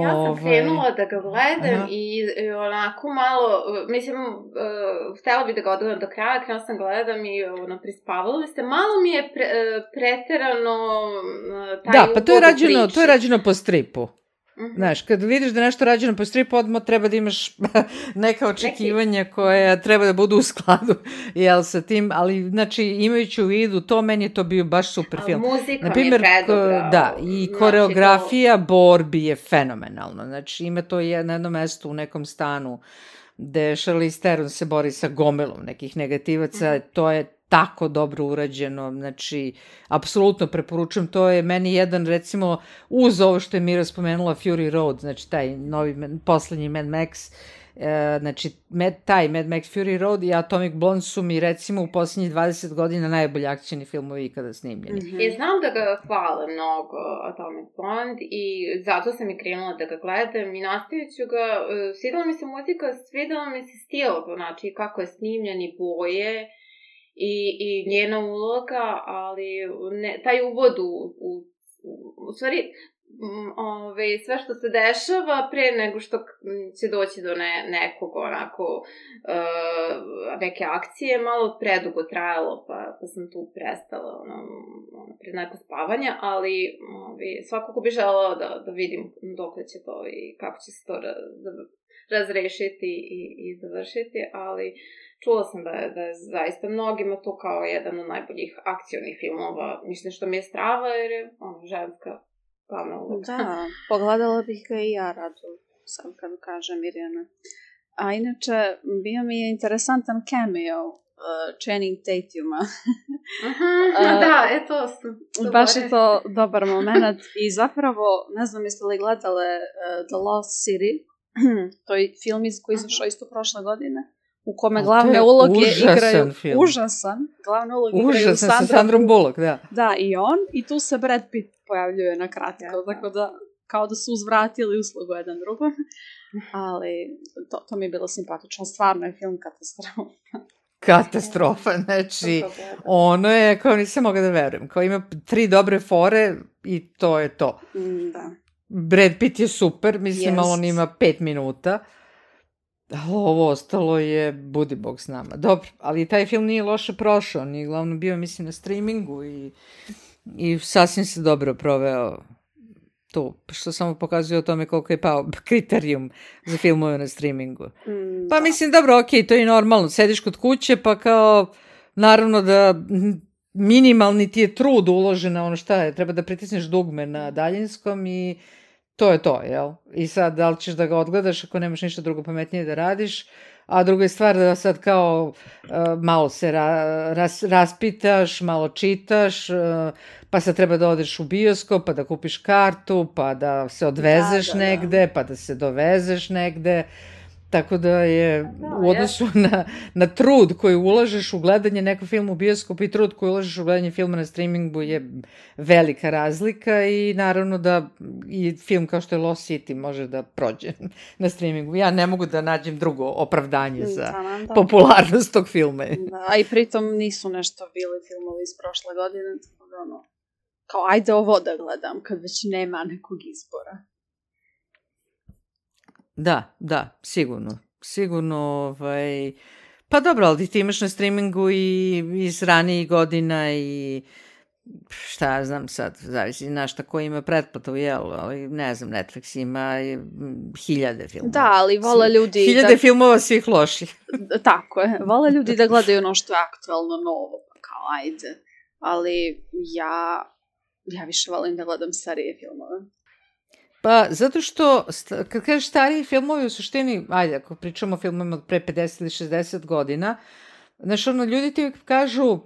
S5: Ja sam krenula da ga gledam i onako malo, mislim, htjela bi da ga odgledam do kraja, krenula sam gledam i prispavala se. Malo mi je preterano taj uvod u priči. Da, pa
S3: to je rađeno po stripu. Znaš, kad vidiš da nešto rađeno po stripu, odmah treba da imaš neka očekivanja koja treba da budu u skladu, jel, sa tim, ali, znači, imajući u vidu to, meni je to bio baš super film.
S5: Muzika mi je predobra.
S3: Da, i koreografija borbi je fenomenalna. Znači, ima to na jednom mestu u nekom stanu gde Charlize Theron se bori sa gomilom nekih negativaca, to je tako dobro urađeno, znači, apsolutno preporučujem, to je meni jedan, recimo, uz ovo što je Mira spomenula, Fury Road, znači, taj novi, poslednji Mad Max, znači, taj Mad Max Fury Road i Atomic Blonde su mi, recimo, u posljednjih 20 godina najbolji akcijni filmovi ikada snimljeni.
S5: I znam da ga hvale mnogo Atomic Blonde i zato sam i krenula da ga gledam i nastavit ću ga, svidela mi se muzika, svidela mi se stil, znači, kako je snimljen i boje, i njena uloga, ali taj uvod u stvari sve što se dešava pre nego što će doći do nekog onako neke akcije, malo predugo trajalo, pa sam tu prestala pred neko spavanje, ali svakako bi želela da vidim dok će to i kako će se to razrešiti i završiti, ali čula sam da je zaista mnogima to kao jedan od najboljih akcionih filmova. Mislim što mi je strava jer je ženska glavna uloga.
S4: Da, pogledala bih ga i ja rado, sad kad kažem Mirjana. A inače, bio mi je interesantan cameo Channing Tatuma.
S5: Da, to sam.
S4: Baš je to dobar moment. I zapravo, ne znam jeste li gledale The Lost City, to je film koji izašao isto prošle godine, u kome glavne uloge igraju...
S3: Film.
S4: Užasan. Glavne uloge igraju
S3: sa Sandrom Bullock, da.
S4: Da, i on. I tu se Brad Pitt pojavljuje na kratko. Tako da, kao da su uzvratili uslugu jedan drugom. Ali to mi je bilo simpatično. Stvarno je film katastrofa.
S3: Katastrofa, znači, ono je, kao nisam mogla da verujem. Kao ima 3 dobre fore i to je to.
S4: Da.
S3: Brad Pitt je super, mislim, ali on ima 5 minuta. Ovo ostalo je budi bog s nama. Dobro, ali taj film nije loše prošao. On je glavno bio, mislim, na streamingu i sasvim se dobro proveo tu. Što samo pokazuje o tome koliko je pao kriterijum za filmove na streamingu. Pa mislim, dobro, okej, to je normalno. Sediš kod kuće, pa kao, naravno da minimalni ti je trud uložen na ono šta je. Treba da pritisneš dugme na daljinskom i to je to, jel? I sad, da li ćeš da ga odgledaš ako nemaš ništa drugo pametnije da radiš, a druga je stvar da sad kao malo se raspitaš, malo čitaš, pa sad treba da odeš u bioskop, pa da kupiš kartu, pa da se odvezeš negde, pa da se dovezeš negde. Tako da je u odnosu na trud koji ulažeš u gledanje nekog filma u bioskopu i trud koji ulažeš u gledanje filma na streamingu je velika razlika i naravno da i film kao što je Lost City može da prođe na streamingu. Ja ne mogu da nađem drugo opravdanje za popularnost tog filma.
S4: Da, a i pritom nisu nešto bili filmovi iz prošle godine, tako da ono, kao ajde ovo da gledam kad već nema nekog izbora.
S3: Da, sigurno, pa dobro, ali ti imaš na streamingu i iz ranijih godina i šta ja znam sad, zavisi na šta ko ima pretplatu, jel, ali ne znam, Netflix ima 1000 filmova.
S4: Da, ali vole ljudi...
S3: 1000 filmova svih loših.
S4: Tako je, vole ljudi da gledaju ono što je aktualno novo, pa kao ajde, ali ja više volim da gledam starije filmove.
S3: Pa, zato što, kad kažeš stariji filmovi, u suštini, ajde, ako pričamo o filmovima od pre 50 ili 60 godina, znaš, ono, ljudi ti kažu,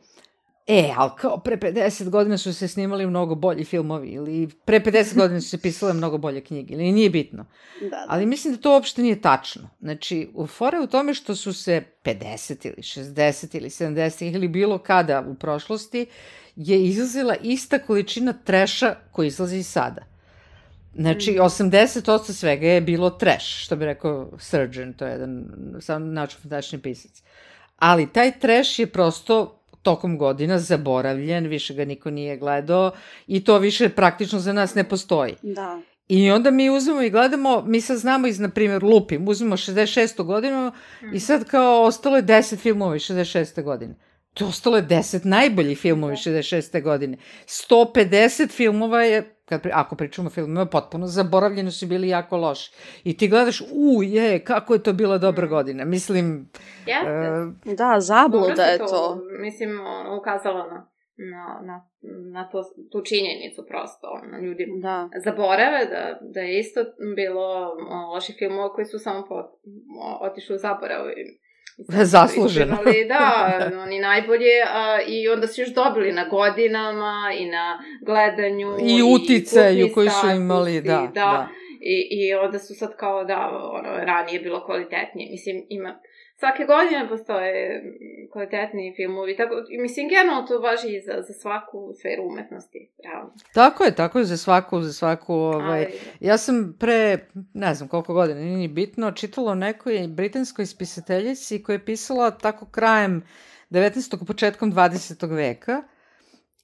S3: ali kao pre 50 godina su se snimali mnogo bolji filmovi, ili pre 50 godina su se pisale mnogo bolje knjige, ili nije bitno. Da. Ali mislim da to uopšte nije tačno. Znači, fora je u tome što su se 50 ili 60 ili 70 ili bilo kada u prošlosti je izlazila ista količina treša koji izlazi i sada. Znači, 80% svega je bilo trash, što bi rekao Surgeon, to je jedan naučno-fantastični pisac. Ali taj trash je prosto tokom godina zaboravljen, više ga niko nije gledao i to više praktično za nas ne postoji.
S4: Da.
S3: I onda mi uzmemo i gledamo, mi sad znamo iz, na primjer, lupim, uzmemo 66. godinu i sad kao ostalo je 10 filmova iz 66. godine. To ostalo je 10 najboljih filmova iz 66. godine. 150 filmova je, ako pričamo o filmima, potpuno zaboravljeni su bili jako loši. I ti gledaš, kako je to bila dobra godina. Mislim...
S4: Da, zabluda je to.
S5: Mislim, ukazalo na tu činjenicu prosto. Ljudi zaborave da je isto bilo loših filmova koji su samo otišli u zaborav.
S3: Zasluženo.
S5: Da, oni najbolje i onda su još dobili na godinama i na gledanju
S3: i uticaju koji su imali, da.
S5: I onda su sad kao ranije je bilo kvalitetnije. Mislim, svake godine postoje kvalitetniji filmovi. Mislim, generalno to važi i za svaku sferu umetnosti. Realno.
S3: Tako je, za svaku. Ja sam pre, ne znam koliko godina, nije bitno, čitala o nekoj britanskoj spisateljici koja je pisala tako krajem 19. početkom 20. veka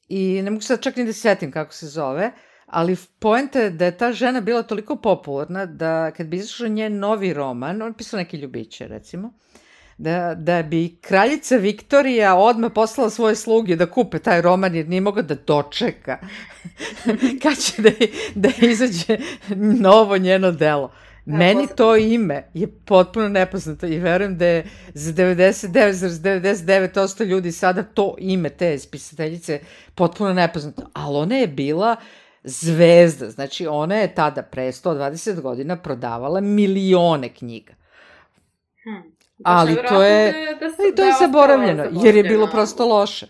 S3: i ne mogu sad čak ni da setim kako se zove, ali poenta je da je ta žena bila toliko popularna da kad bi izašao njen novi roman, on pisao neke ljubiće recimo, da bi kraljica Viktorija odmah poslala svoje sluge da kupe taj roman jer nije mogla da dočeka kad će da izađe novo njeno delo. Meni to ime je potpuno nepoznato i verujem da je za 99,99% ljudi sada to ime te spisateljice potpuno nepoznato. Ali ona je bila zvezda, znači ona je tada pre 120 godina prodavala milione knjiga. Ali to je, to je zaboravljeno, jer je bilo prosto loše.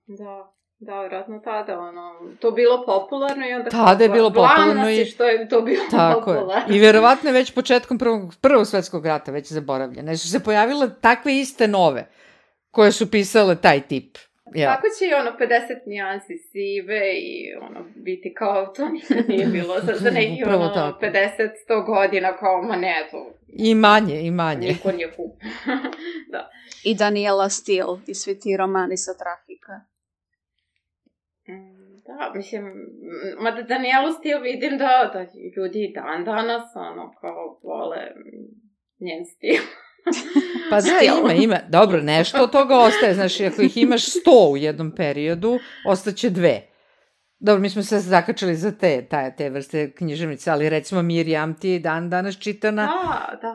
S5: Da, vjerojatno tada, to bilo popularno i onda...
S3: Tada je bilo popularno
S5: i... što je to bilo popularno.
S3: Tako je. I vjerovatno je već početkom prvog svetskog rata već zaboravljene. Su se pojavile takve iste nove, koje su pisale taj tip.
S5: Tako će i 50 nijansi sive i biti kao to nikad nije bilo za neki 50-100 godina kao ma ne to.
S3: I manje.
S5: Niko nije kup. Da.
S4: I Daniela Steele i svi ti romani sa trafika.
S5: Da, mislim, mada Danielu Steele vidim da ljudi dan danas kao vole njen stil.
S3: Pa da, ima. Dobro, nešto od toga ostaje. Znaš, ako ih imaš 100 u jednom periodu, ostaće 2. Dobro, mi smo se zakačali za te vrste književnice, ali recimo Mirjam ti je danas čitana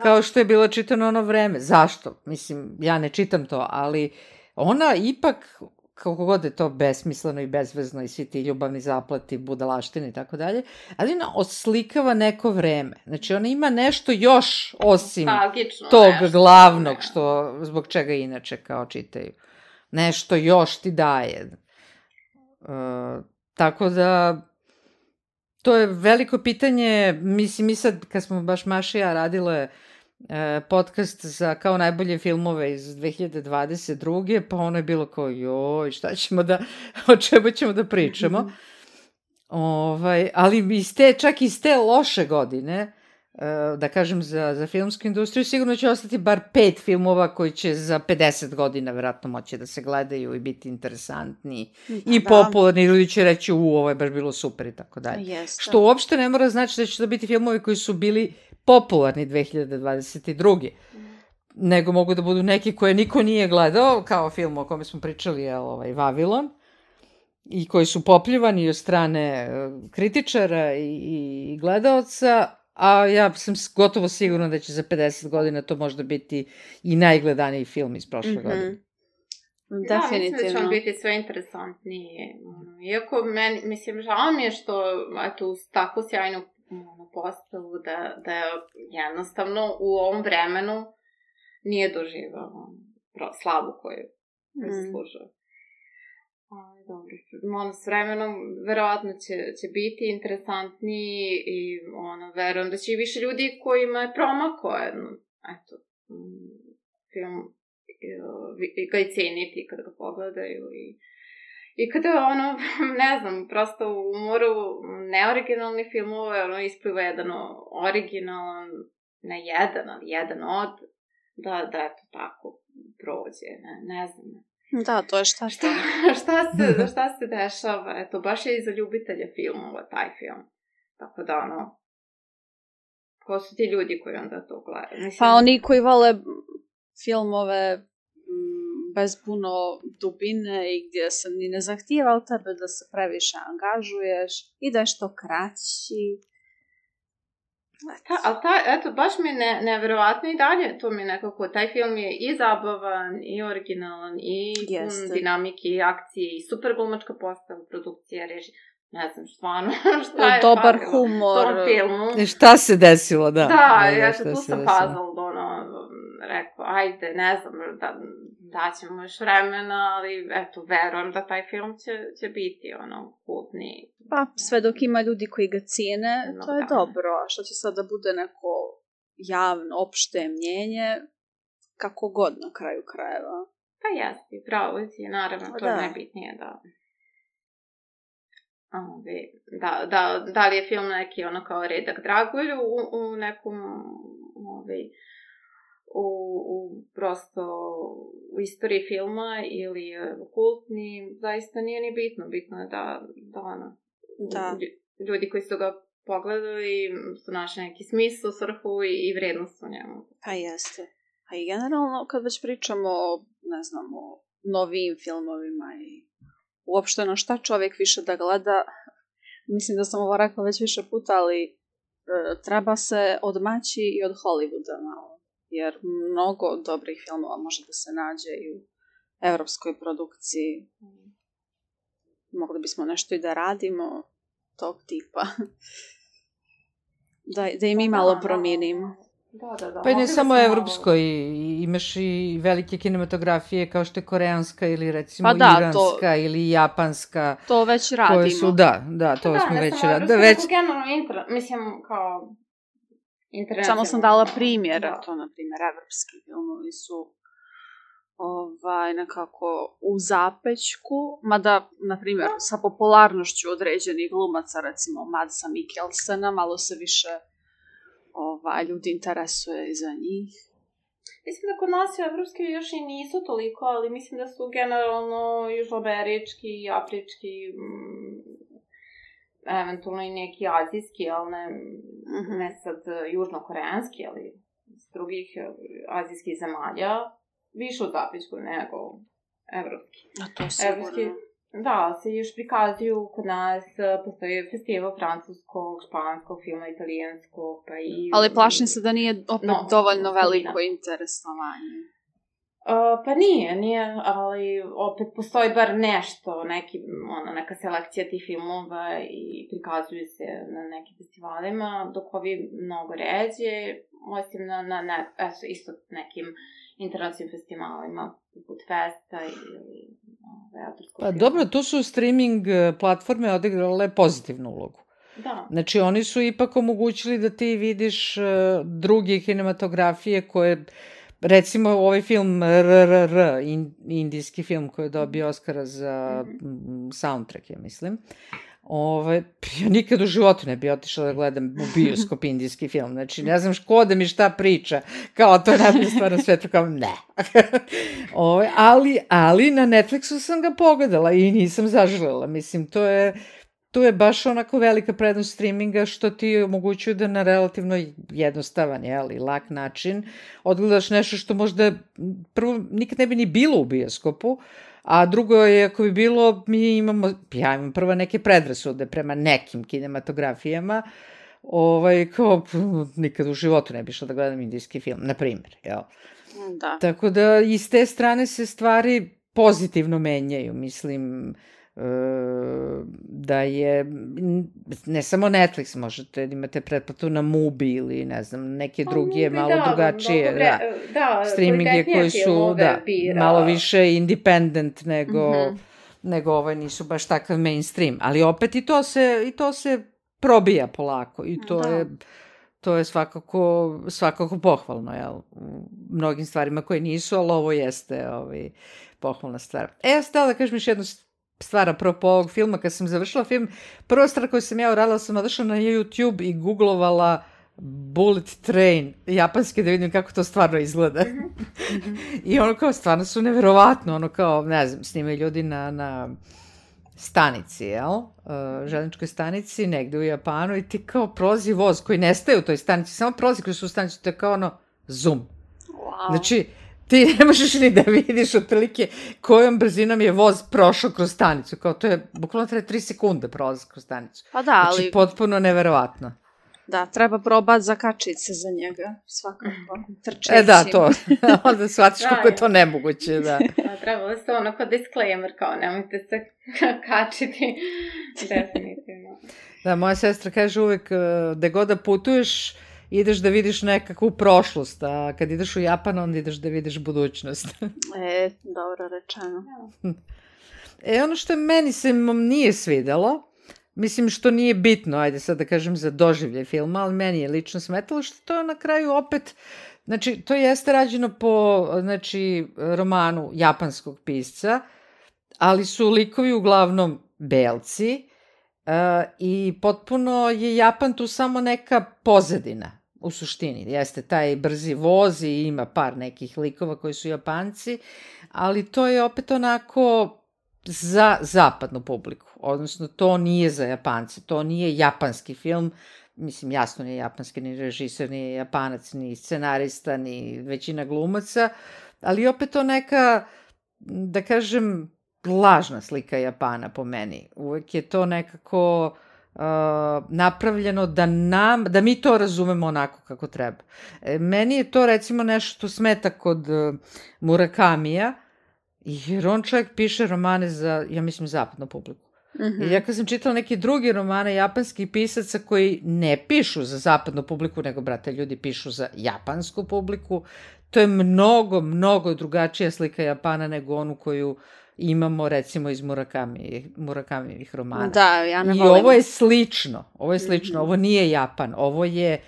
S3: kao što je bilo čitano ono vreme. Zašto? Mislim, ja ne čitam to, ali ona ipak, kako god je to besmisleno i bezvezno i svi ti ljubavni zaplati, budalaštine i tako dalje, ali ona oslikava neko vreme. Znači, ona ima nešto još osim tog glavnog, zbog čega inače kao čitaju. Nešto još ti daje. Tako da, to je veliko pitanje. Mislim, mi sad, kad smo baš Maša i ja radile podcast za kao najbolje filmove iz 2022. Pa ono je bilo kao, joj, o čemu ćemo da pričamo. Ali čak iz te loše godine, da kažem za filmsku industriju, sigurno će ostati bar 5 filmova koji će za 50 godina verovatno moći da se gledaju i biti interesantni i popularni. Ljudi će reći, ovo je baš bilo super i tako dalje. Što uopšte ne mora znači da će to biti filmovi koji su bili popularni 2022. Nego mogu da budu neki koje niko nije gledao, kao film o kome smo pričali, Vavilon, i koji su popljuvani od strane kritičara i gledaoca, a ja sam gotovo sigurna da će za 50 godina to možda biti i najgledaniji film iz prošle godine.
S4: Definitivno.
S5: Mislim da će on biti sve interesantniji. Iako, žao mi je što, uz takvu sjajnu postavu, da jednostavno u ovom vremenu nije doživao slavu koju zaslužuje. Dobro, s vremenom verovatno će biti interesantniji i verujem da će i više ljudi kojima je promakao film ga i ceniti kada ga pogledaju i kada ne znam, prosto u umoru neoriginalni filmove ispliva jedan originalan, ne jedan, ali jedan od, da eto tako prođe, ne znam.
S4: Da, to je šta
S5: se dešava, eto, baš je i za ljubitelje filmova taj film, tako da ko su ti ljudi koji onda to gledaju? Mislim...
S4: Pa oni koji vole filmove bez puno dubine i gdje se ni ne zahtijeva od tebe da se previše angažuješ i da je što kraći.
S5: Eto, baš mi je nevjerovatno i dalje, to mi je nekako, taj film je i zabavan, i originalan, i dinamike, i akcije, i super glumačka postava, produkcija, režija. Ne znam, stvarno, šta je
S4: dobar humor.
S5: Tom filmu.
S3: Šta se desilo, da.
S5: Da, ja tu sam puzzled, rekao, ajde, ne znam, daćemo još vremena, ali eto, verujem da taj film će biti, kultni.
S4: Pa, sve dok ima ljudi koji ga cijene, to je dobro, a što će sad da bude neko javno, opšte mnjenje, kako god na kraju krajeva.
S5: Pa jesti, pravo je, naravno, to je najbitnije, da li je film neki kao redak Dragulj u nekom prosto u istoriji filma ili kultni, zaista nije ni bitno. Bitno je da ljudi koji su ga pogledali su našli neki smisao, svrhu i vrednost u njemu.
S4: Pa jeste. A i generalno kad već pričamo o novim filmovima i uopšte na šta čovjek više da gleda, mislim da sam ovo rekla već više puta, ali treba se odmaći i od Hollywooda malo, jer mnogo dobrih filmova može da se nađe i u evropskoj produkciji. Mogli bismo nešto i da radimo tog tipa. Da i mi malo promijenimo.
S5: Da.
S3: Pa i ne
S5: Ovdje
S3: samo
S5: sam
S3: evropskoj, imaš i velike kinematografije kao što je koreanska ili recimo
S4: Pa da,
S3: iranska ili japanska.
S4: To već radimo.
S3: Koje su, to smo već radili.
S5: Ne samo generalno, mislim, kao internacionalno.
S4: Samo sam dala primjera, to na primjer evropski filmovi su nekako u zapećku, mada, na primjer, sa popularnošću određenih glumaca, recimo Madsa Mikkelsena, malo se više ljudi interesuje i za njih.
S5: Mislim da kod nas evropski još i nisu toliko, ali mislim da su generalno južnoamerički, afrički, eventualno i neki azijski, ali ne sad južnokoreanski, ali iz drugih azijskih zemalja, više u zapećku nego evropski.
S4: A to sigurno.
S5: Da, se još prikazuju kod nas, postoji festival francuskog, španskog filma, italijanskog, pa i...
S4: Ali plašim se da nije opet dovoljno veliko interesovanje.
S5: Pa nije, ali opet postoji bar nešto, neka selekcija tih filmova i prikazuju se na nekim festivalima, dok ovi mnogo ređe, osim na isto nekim internacionalnim festivalima, poput Festa ili autorskog
S3: Pa
S5: filma.
S3: dobro, tu su streaming platforme odigrale pozitivnu ulogu.
S5: Da.
S3: Znači, oni su ipak omogućili da ti vidiš druge kinematografije koje, recimo ovaj film RRR, indijski film koji je dobio Oscara za soundtrack, ja mislim. Ja nikad u životu ne bi otišla da gledam u bioskop indijski film. Znači, ne znam ko da mi šta priča. Kao, to je najbolja stvar na svetu. Kao, ne. Ali na Netflixu sam ga pogledala i nisam zaželela. Mislim, to je baš onako velika prednost streaminga što ti omogućuju da na relativno jednostavan, lak način odgledaš nešto što možda prvo nikad ne bi ni bilo u bioskopu, a drugo je, ako bi bilo, ja imam prvo neke predrasude prema nekim kinematografijama, kao nikad u životu ne bi šla da gledam indijski film, na primjer, jel?
S4: Da.
S3: Tako da i s te strane se stvari pozitivno menjaju, mislim, da je, ne samo Netflix, možete da imate pretplatu na Mubi ili ne znam, neke druge malo drugačije streaminge koji su malo više independent nego nisu baš takav mainstream, ali opet i to se probija polako i to je svakako pohvalno, jel, u mnogim stvarima koje nisu, ali ovo jeste pohvalna stvar. Ja sam htjela da kažem još jednu stvar apropo ovog filma. Kad sam završila film, prva stvar koju sam ja uradila, sam odešla na YouTube i googlovala Bullet Train japanski da vidim kako to stvarno izgleda. I kao stvarno su neverovatno, kao, ne znam, snimaju ljudi na stanici, željezničkoj stanici, negde u Japanu, i ti kao prolazi voz koji nestaje u toj stanici, samo prolazi kroz tu stanicu, to je kao zoom.
S4: Wow.
S3: Znači, ti ne možeš ni da vidiš otprilike kojom brzinom je voz prošao kroz stanicu. Kao to je, bukvalno treba 3 sekunde prolaz kroz stanicu.
S4: Pa da, ali...
S3: Znači, potpuno neverovatno.
S4: Da, treba probati zakačiti se za njega, svakako, trčeći.
S3: Da, to. Onda shvatiš kako je to nemoguće, da.
S5: Trebalo se onako disclaimer, kao nemojte se kačiti, definitivno.
S3: Da, moja sestra kaže uvek, da god da putuješ, ideš da vidiš nekakvu prošlost, a kad ideš u Japan, onda ideš da vidiš budućnost.
S4: Dobro rečeno.
S3: Ono što meni se nije svidelo, mislim što nije bitno, ajde sad da kažem za doživljaj filma, ali meni je lično smetalo što to na kraju opet, znači to jeste rađeno po romanu japanskog pisca, ali su likovi uglavnom belci, i potpuno je Japan tu samo neka pozadina u suštini. Jeste taj brzi voz i ima par nekih likova koji su Japanci, ali to je opet onako za zapadnu publiku. Odnosno, to nije za Japance, to nije japanski film. Mislim, jasno nije japanski, ni režiser, ni Japanac, ni scenarista, ni većina glumaca, ali opet to neka, da kažem, lažna slika Japana po meni. Uvek je to nekako napravljeno da mi to razumemo onako kako treba. Meni je to recimo nešto što smeta kod Murakamija, jer on čovjek piše romane za, ja mislim, zapadnu publiku. I ja kad sam čitala neke druge romane japanskih pisaca koji ne pišu za zapadnu publiku, nego, brate, ljudi pišu za japansku publiku, to je mnogo, mnogo drugačija slika Japana nego onu koju imamo, recimo, iz Murakamijevih romana.
S4: Da, ja ne
S3: I
S4: volim.
S3: ovo je slično, ovo nije Japan, ovo je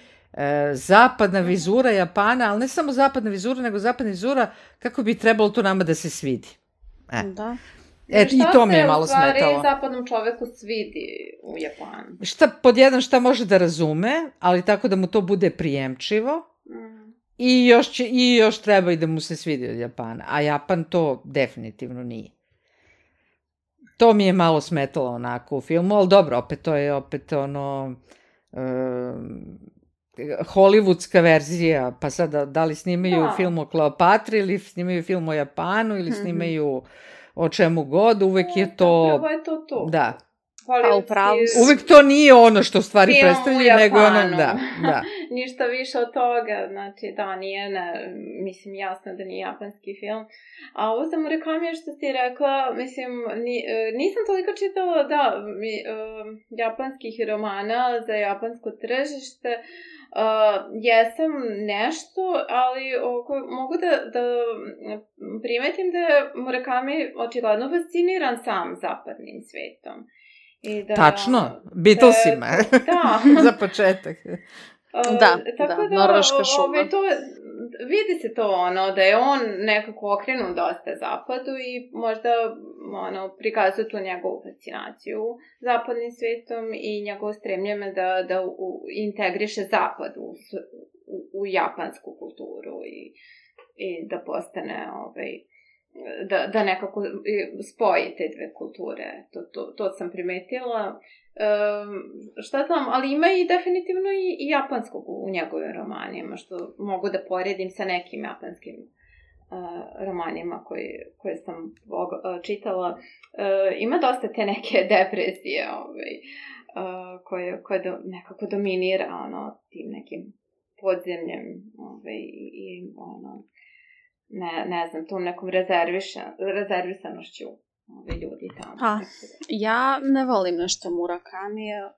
S3: zapadna vizura Japana, ali ne samo zapadna vizura, nego zapadna vizura kako bi trebalo to nama da se svidi.
S4: Da.
S3: I to mi je malo smetalo.
S5: Šta se u stvari zapadnom čoveku svidi u Japanu?
S3: Šta može da razume, ali tako da mu to bude prijemčivo. I još treba i da mu se svidi od Japana. A Japan to definitivno nije. To mi je malo smetalo onako u filmu, ali dobro, to je opet ono hollywoodska verzija, pa sada da li snimaju film o Kleopatri ili snimaju film o Japanu ili snimaju o čemu god, uvek je to...
S5: Zapravo je to.
S3: Da.
S5: Uvek
S3: to nije ono što u stvari predstavlja, nego ono, da.
S5: Ništa više od toga, znači da, nije, mislim, jasno da nije japanski film. A ovo za Murakami što ti rekla, mislim, nisam toliko čitala, japanskih romana za japansko tržište, jesam nešto, ali mogu da primetim da je Murakami očigledno fasciniran sam zapadnim svetom.
S3: Tačno, Beatlesima.
S5: Da.
S3: Za početak.
S4: Norveška šuma.
S5: Vidi se to da je on nekako okrenut dosta zapadu i možda prikazuje tu njegovu fascinaciju zapadnim svetom i njegovo stremljenje da integriše zapad u japansku kulturu i da postane da nekako spoji te dve kulture. To sam primetila. Šta znam, ali ima i definitivno i japanskog u njegovim romanima, što mogu da poredim sa nekim japanskim romanima koje sam čitala. Ima dosta te neke depresije koje nekako dominira tim nekim podzemljem i ne znam, tom nekom rezervisanošću ljudi tamo.
S4: Ja ne volim nešto Murakamija.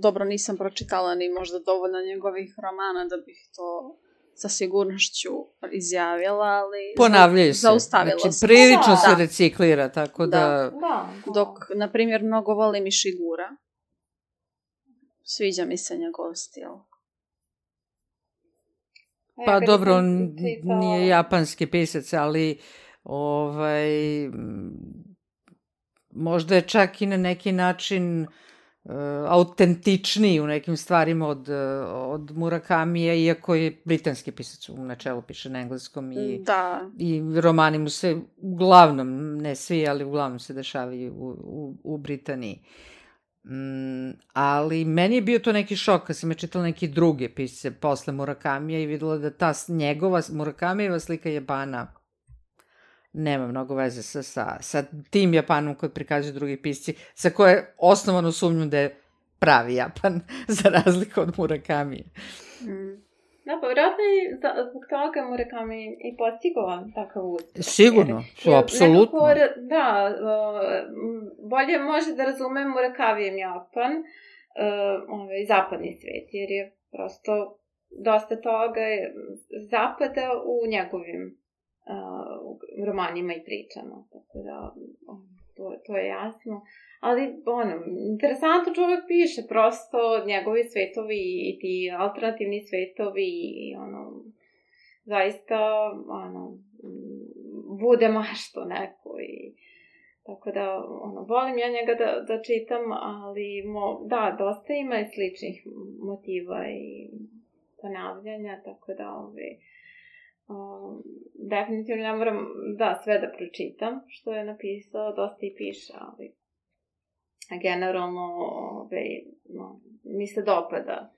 S4: Dobro, nisam pročitala ni možda dovoljno njegovih romana da bih to sa sigurnošću izjavila, ali
S3: ponavljaju se.
S4: Zaustavila
S3: znači,
S4: sam.
S3: Prilično se reciklira, tako da...
S4: Dok, na primjer, mnogo volim i Shigura. Sviđa mi se njegov stil.
S3: Pa dobro, on nije japanski pisac, ali možda je čak i na neki način autentičniji u nekim stvarima od Murakamija, iako je britanski pisac, u načelu piše na engleskom i romani mu se uglavnom, ne svi, ali uglavnom se dešavaju u Britaniji. Ali meni je bio to neki šok kad sam je čitala neke druge pisce posle Murakamija i videla da ta njegova Murakamijeva slika Japana nema mnogo veze sa tim Japanom koji prikazuju drugi pisci, sa koje osnovano sumnjam da je pravi Japan, za razliku od Murakamije.
S5: Da, pa vjerojatno i zbog toga Murakami i postigao takav uspjeh.
S3: Sigurno, apsolutno.
S5: Da, bolje može da razume Murakavijem Japan, zapadni svijet, jer je prosto dosta toga zapada u njegovim romanima i pričama, tako da to je jasno. Ali, interesantno čovjek piše, prosto njegovi svetovi i ti alternativni svetovi i zaista, bude mašto neko i tako da, volim ja njega da čitam, ali, dosta ima i sličnih motiva i ponavljanja, tako da, definitivno ne moram sve da pročitam što je napisao, dosta i piše, ali generalno mi se dopada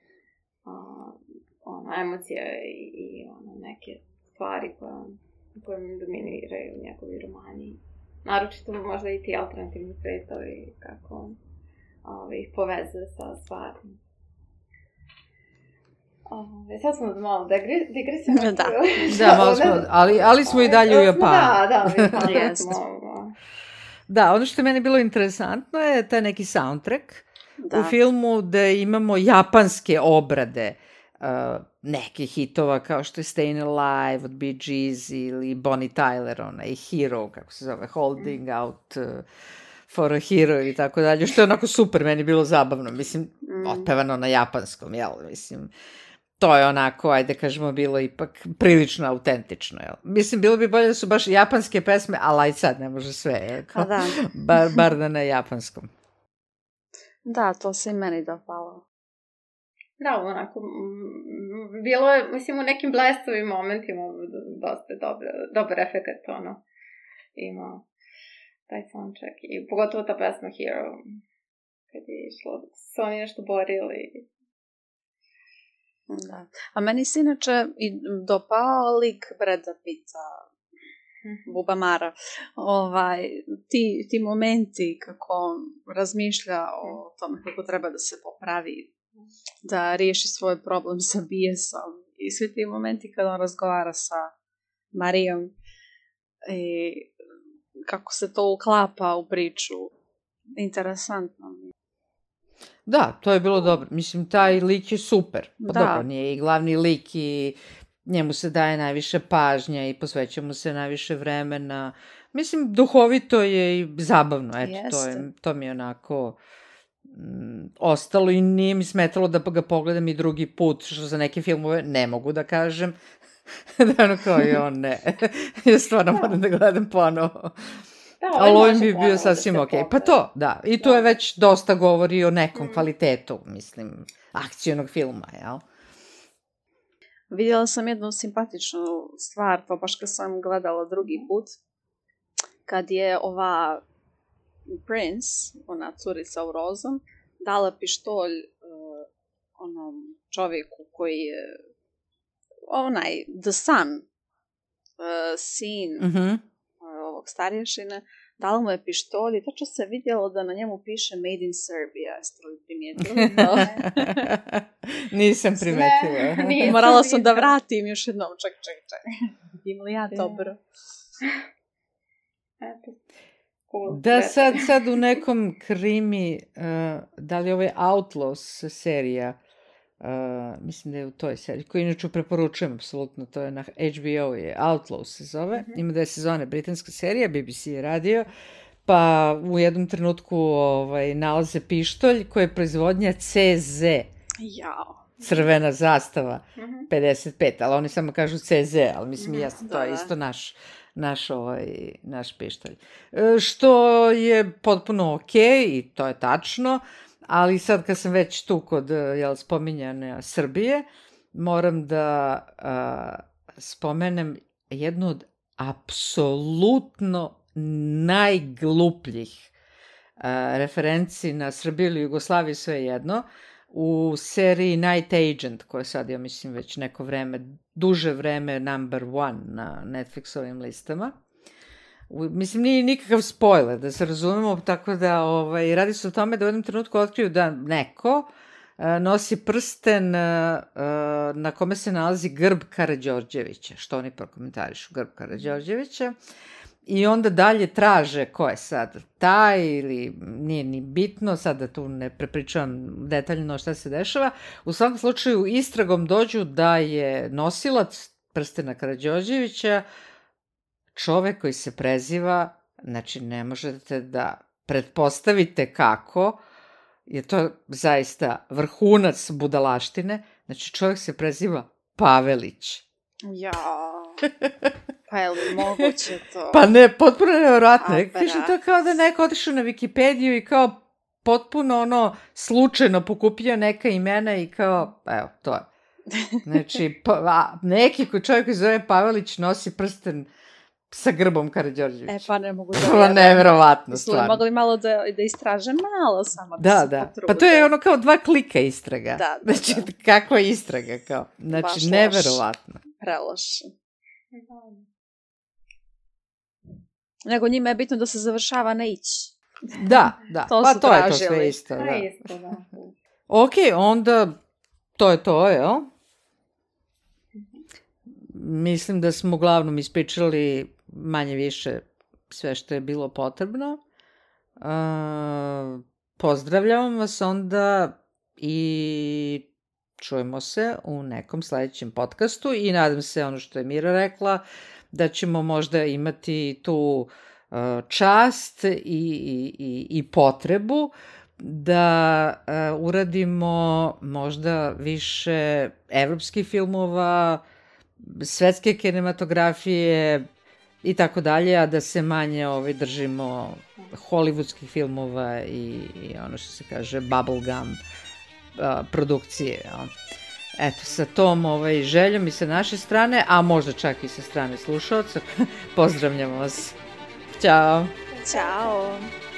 S5: emocija i neke stvari koje mi dominiraju njegovi romani. Naročito možda i ti alternativni svetovi, kako ih povezuje sa stvarima. Sad smo malo digresimo.
S3: Da, malo smo, ali smo i dalje u Japanu.
S5: Da, smo.
S3: Da, ono što je meni bilo interesantno je taj neki soundtrack
S4: Da.
S3: u filmu da imamo japanske obrade nekih hitova kao što je Stayin' Alive od Bee Gees ili Bonnie Tyler, onaj Hero, kako se zove, Holding Out for a Hero i tako dalje, što je onako super, meni bilo zabavno, mislim, otpevano na japanskom, jel, mislim, to je onako, ajde kažemo, bilo ipak prilično autentično, jel? Mislim, bilo bi bolje da su baš japanske pesme, ali aj sad ne može sve, jel?
S4: Pa da.
S3: Bar da na japanskom.
S4: Da, to se i meni dopalo.
S5: Da, onako, bilo je, mislim, u nekim blestovim momentima dosta dobar efekt, ono, ima taj soundtrack. I pogotovo ta pesma Hero, kad je išlo, su oni nešto borili.
S4: Da. A meni se inače i dopao lik Brada Pitta, Bubamara. Ti momenti kako on razmišlja o tome kako treba da se popravi, da riješi svoj problem sa bijesom i svi ti momenti kada on razgovara sa Marijom i kako se to uklapa u priču. Interesantno.
S3: Da, to je bilo dobro. Mislim, taj lik je super. Pa
S4: Da.
S3: dobro, nije i glavni lik i njemu se daje najviše pažnja i posveća mu se najviše vremena. Mislim, duhovito je i zabavno. Eto, to mi je onako ostalo i nije mi smetalo da ga pogledam i drugi put, što za neke filmove ne mogu da kažem. Da ono kao i on ne. Ja stvarno moram da gledam ponovo. Ali ovim bi bio sasvim ok. Pa to, da. I tu je već dosta govori o nekom kvalitetu, mislim, akcijnog filma, jel?
S4: Vidjela sam jednu simpatičnu stvar, to baš kad sam gledala drugi put, kad je ova Prince, ona curica u rozom, dala pištolj onom čovjeku koji je onaj The Sun, sin ovog starješine, dala mu je pištolj i tačno se vidjelo da na njemu piše Made in Serbia. Jeste li primijetili to?
S3: Nisam primetila.
S4: Morala sam da vratim još jednom. Ček. Vidim li ja dobro?
S3: Da, sad u nekom krimi, da li ovo je Outlaws serija, mislim da je u toj seriji, koju inače preporučujem apsolutno, to je na HBO, je Outlaws se zove, ima 2 sezone, britanska serija, BBC je radio, pa u jednom trenutku nalaze pištolj koji je proizvodnja CZ, crvena zastava, 55, ali oni samo kažu CZ, ali mislim jasno, to je isto naš pištolj. Što je potpuno okej i to je tačno, ali sad kad sam već tu kod spominjane Srbije, moram da spomenem jednu od apsolutno najglupljih referenci na Srbiju ili Jugoslaviju, sve jedno, u seriji Night Agent, koja sad, ja mislim, već neko vreme, duže vreme number 1 na Netflixovim listama. Mislim, nije nikakav spoiler, da se razumemo, tako da radi se o tome da u jednom trenutku otkriju da neko nosi prsten na kome se nalazi grb Karađorđevića, što oni prokomentarišu, grb Karađorđevića, i onda dalje traže ko je sad taj ili nije ni bitno, sad da tu ne prepričavam detaljno šta se dešava. U svakom slučaju istragom dođu da je nosilac prstena Karađorđevića čovek koji se preziva, znači ne možete da pretpostavite kako, je to zaista vrhunac budalaštine, znači čovek se preziva Pavelić.
S4: Pa je li moguće to?
S3: Pa ne, potpuno nevjerojatno. Kažem, to je kao da neko otišao na Wikipediju i kao potpuno slučajno pokupio neka imena i kao, evo, to je. Znači, neki čovjek koji zove Pavelić nosi prsten sa grbom Karađorđevića.
S4: Pa ne mogu da
S3: vjerujem. Neverovatno, stvarno.
S4: Mogli malo da istraže malo samo.
S3: Da. Pa to je ono kao 2 klika istraga. Znači, kakva istraga, kao. Znači, neverovatno.
S4: Preloše. Nego njima je bitno da se završava na ići.
S3: Da. Pa to je to sve isto. Ok, onda to je to, jel? Mislim da smo uglavnom ispričali manje više sve što je bilo potrebno. Pozdravljam vas onda i čujemo se u nekom sledećem podcastu i nadam se, ono što je Mira rekla, da ćemo možda imati tu čast i potrebu da uradimo možda više evropskih filmova, svetske kinematografije i tako dalje, a da se manje držimo hollywoodskih filmova i ono što se kaže bubblegum produkcije. Eto, sa tom željom i sa naše strane, a možda čak i sa strane slušaoca, pozdravljamo vas. Ćao!
S4: Ćao!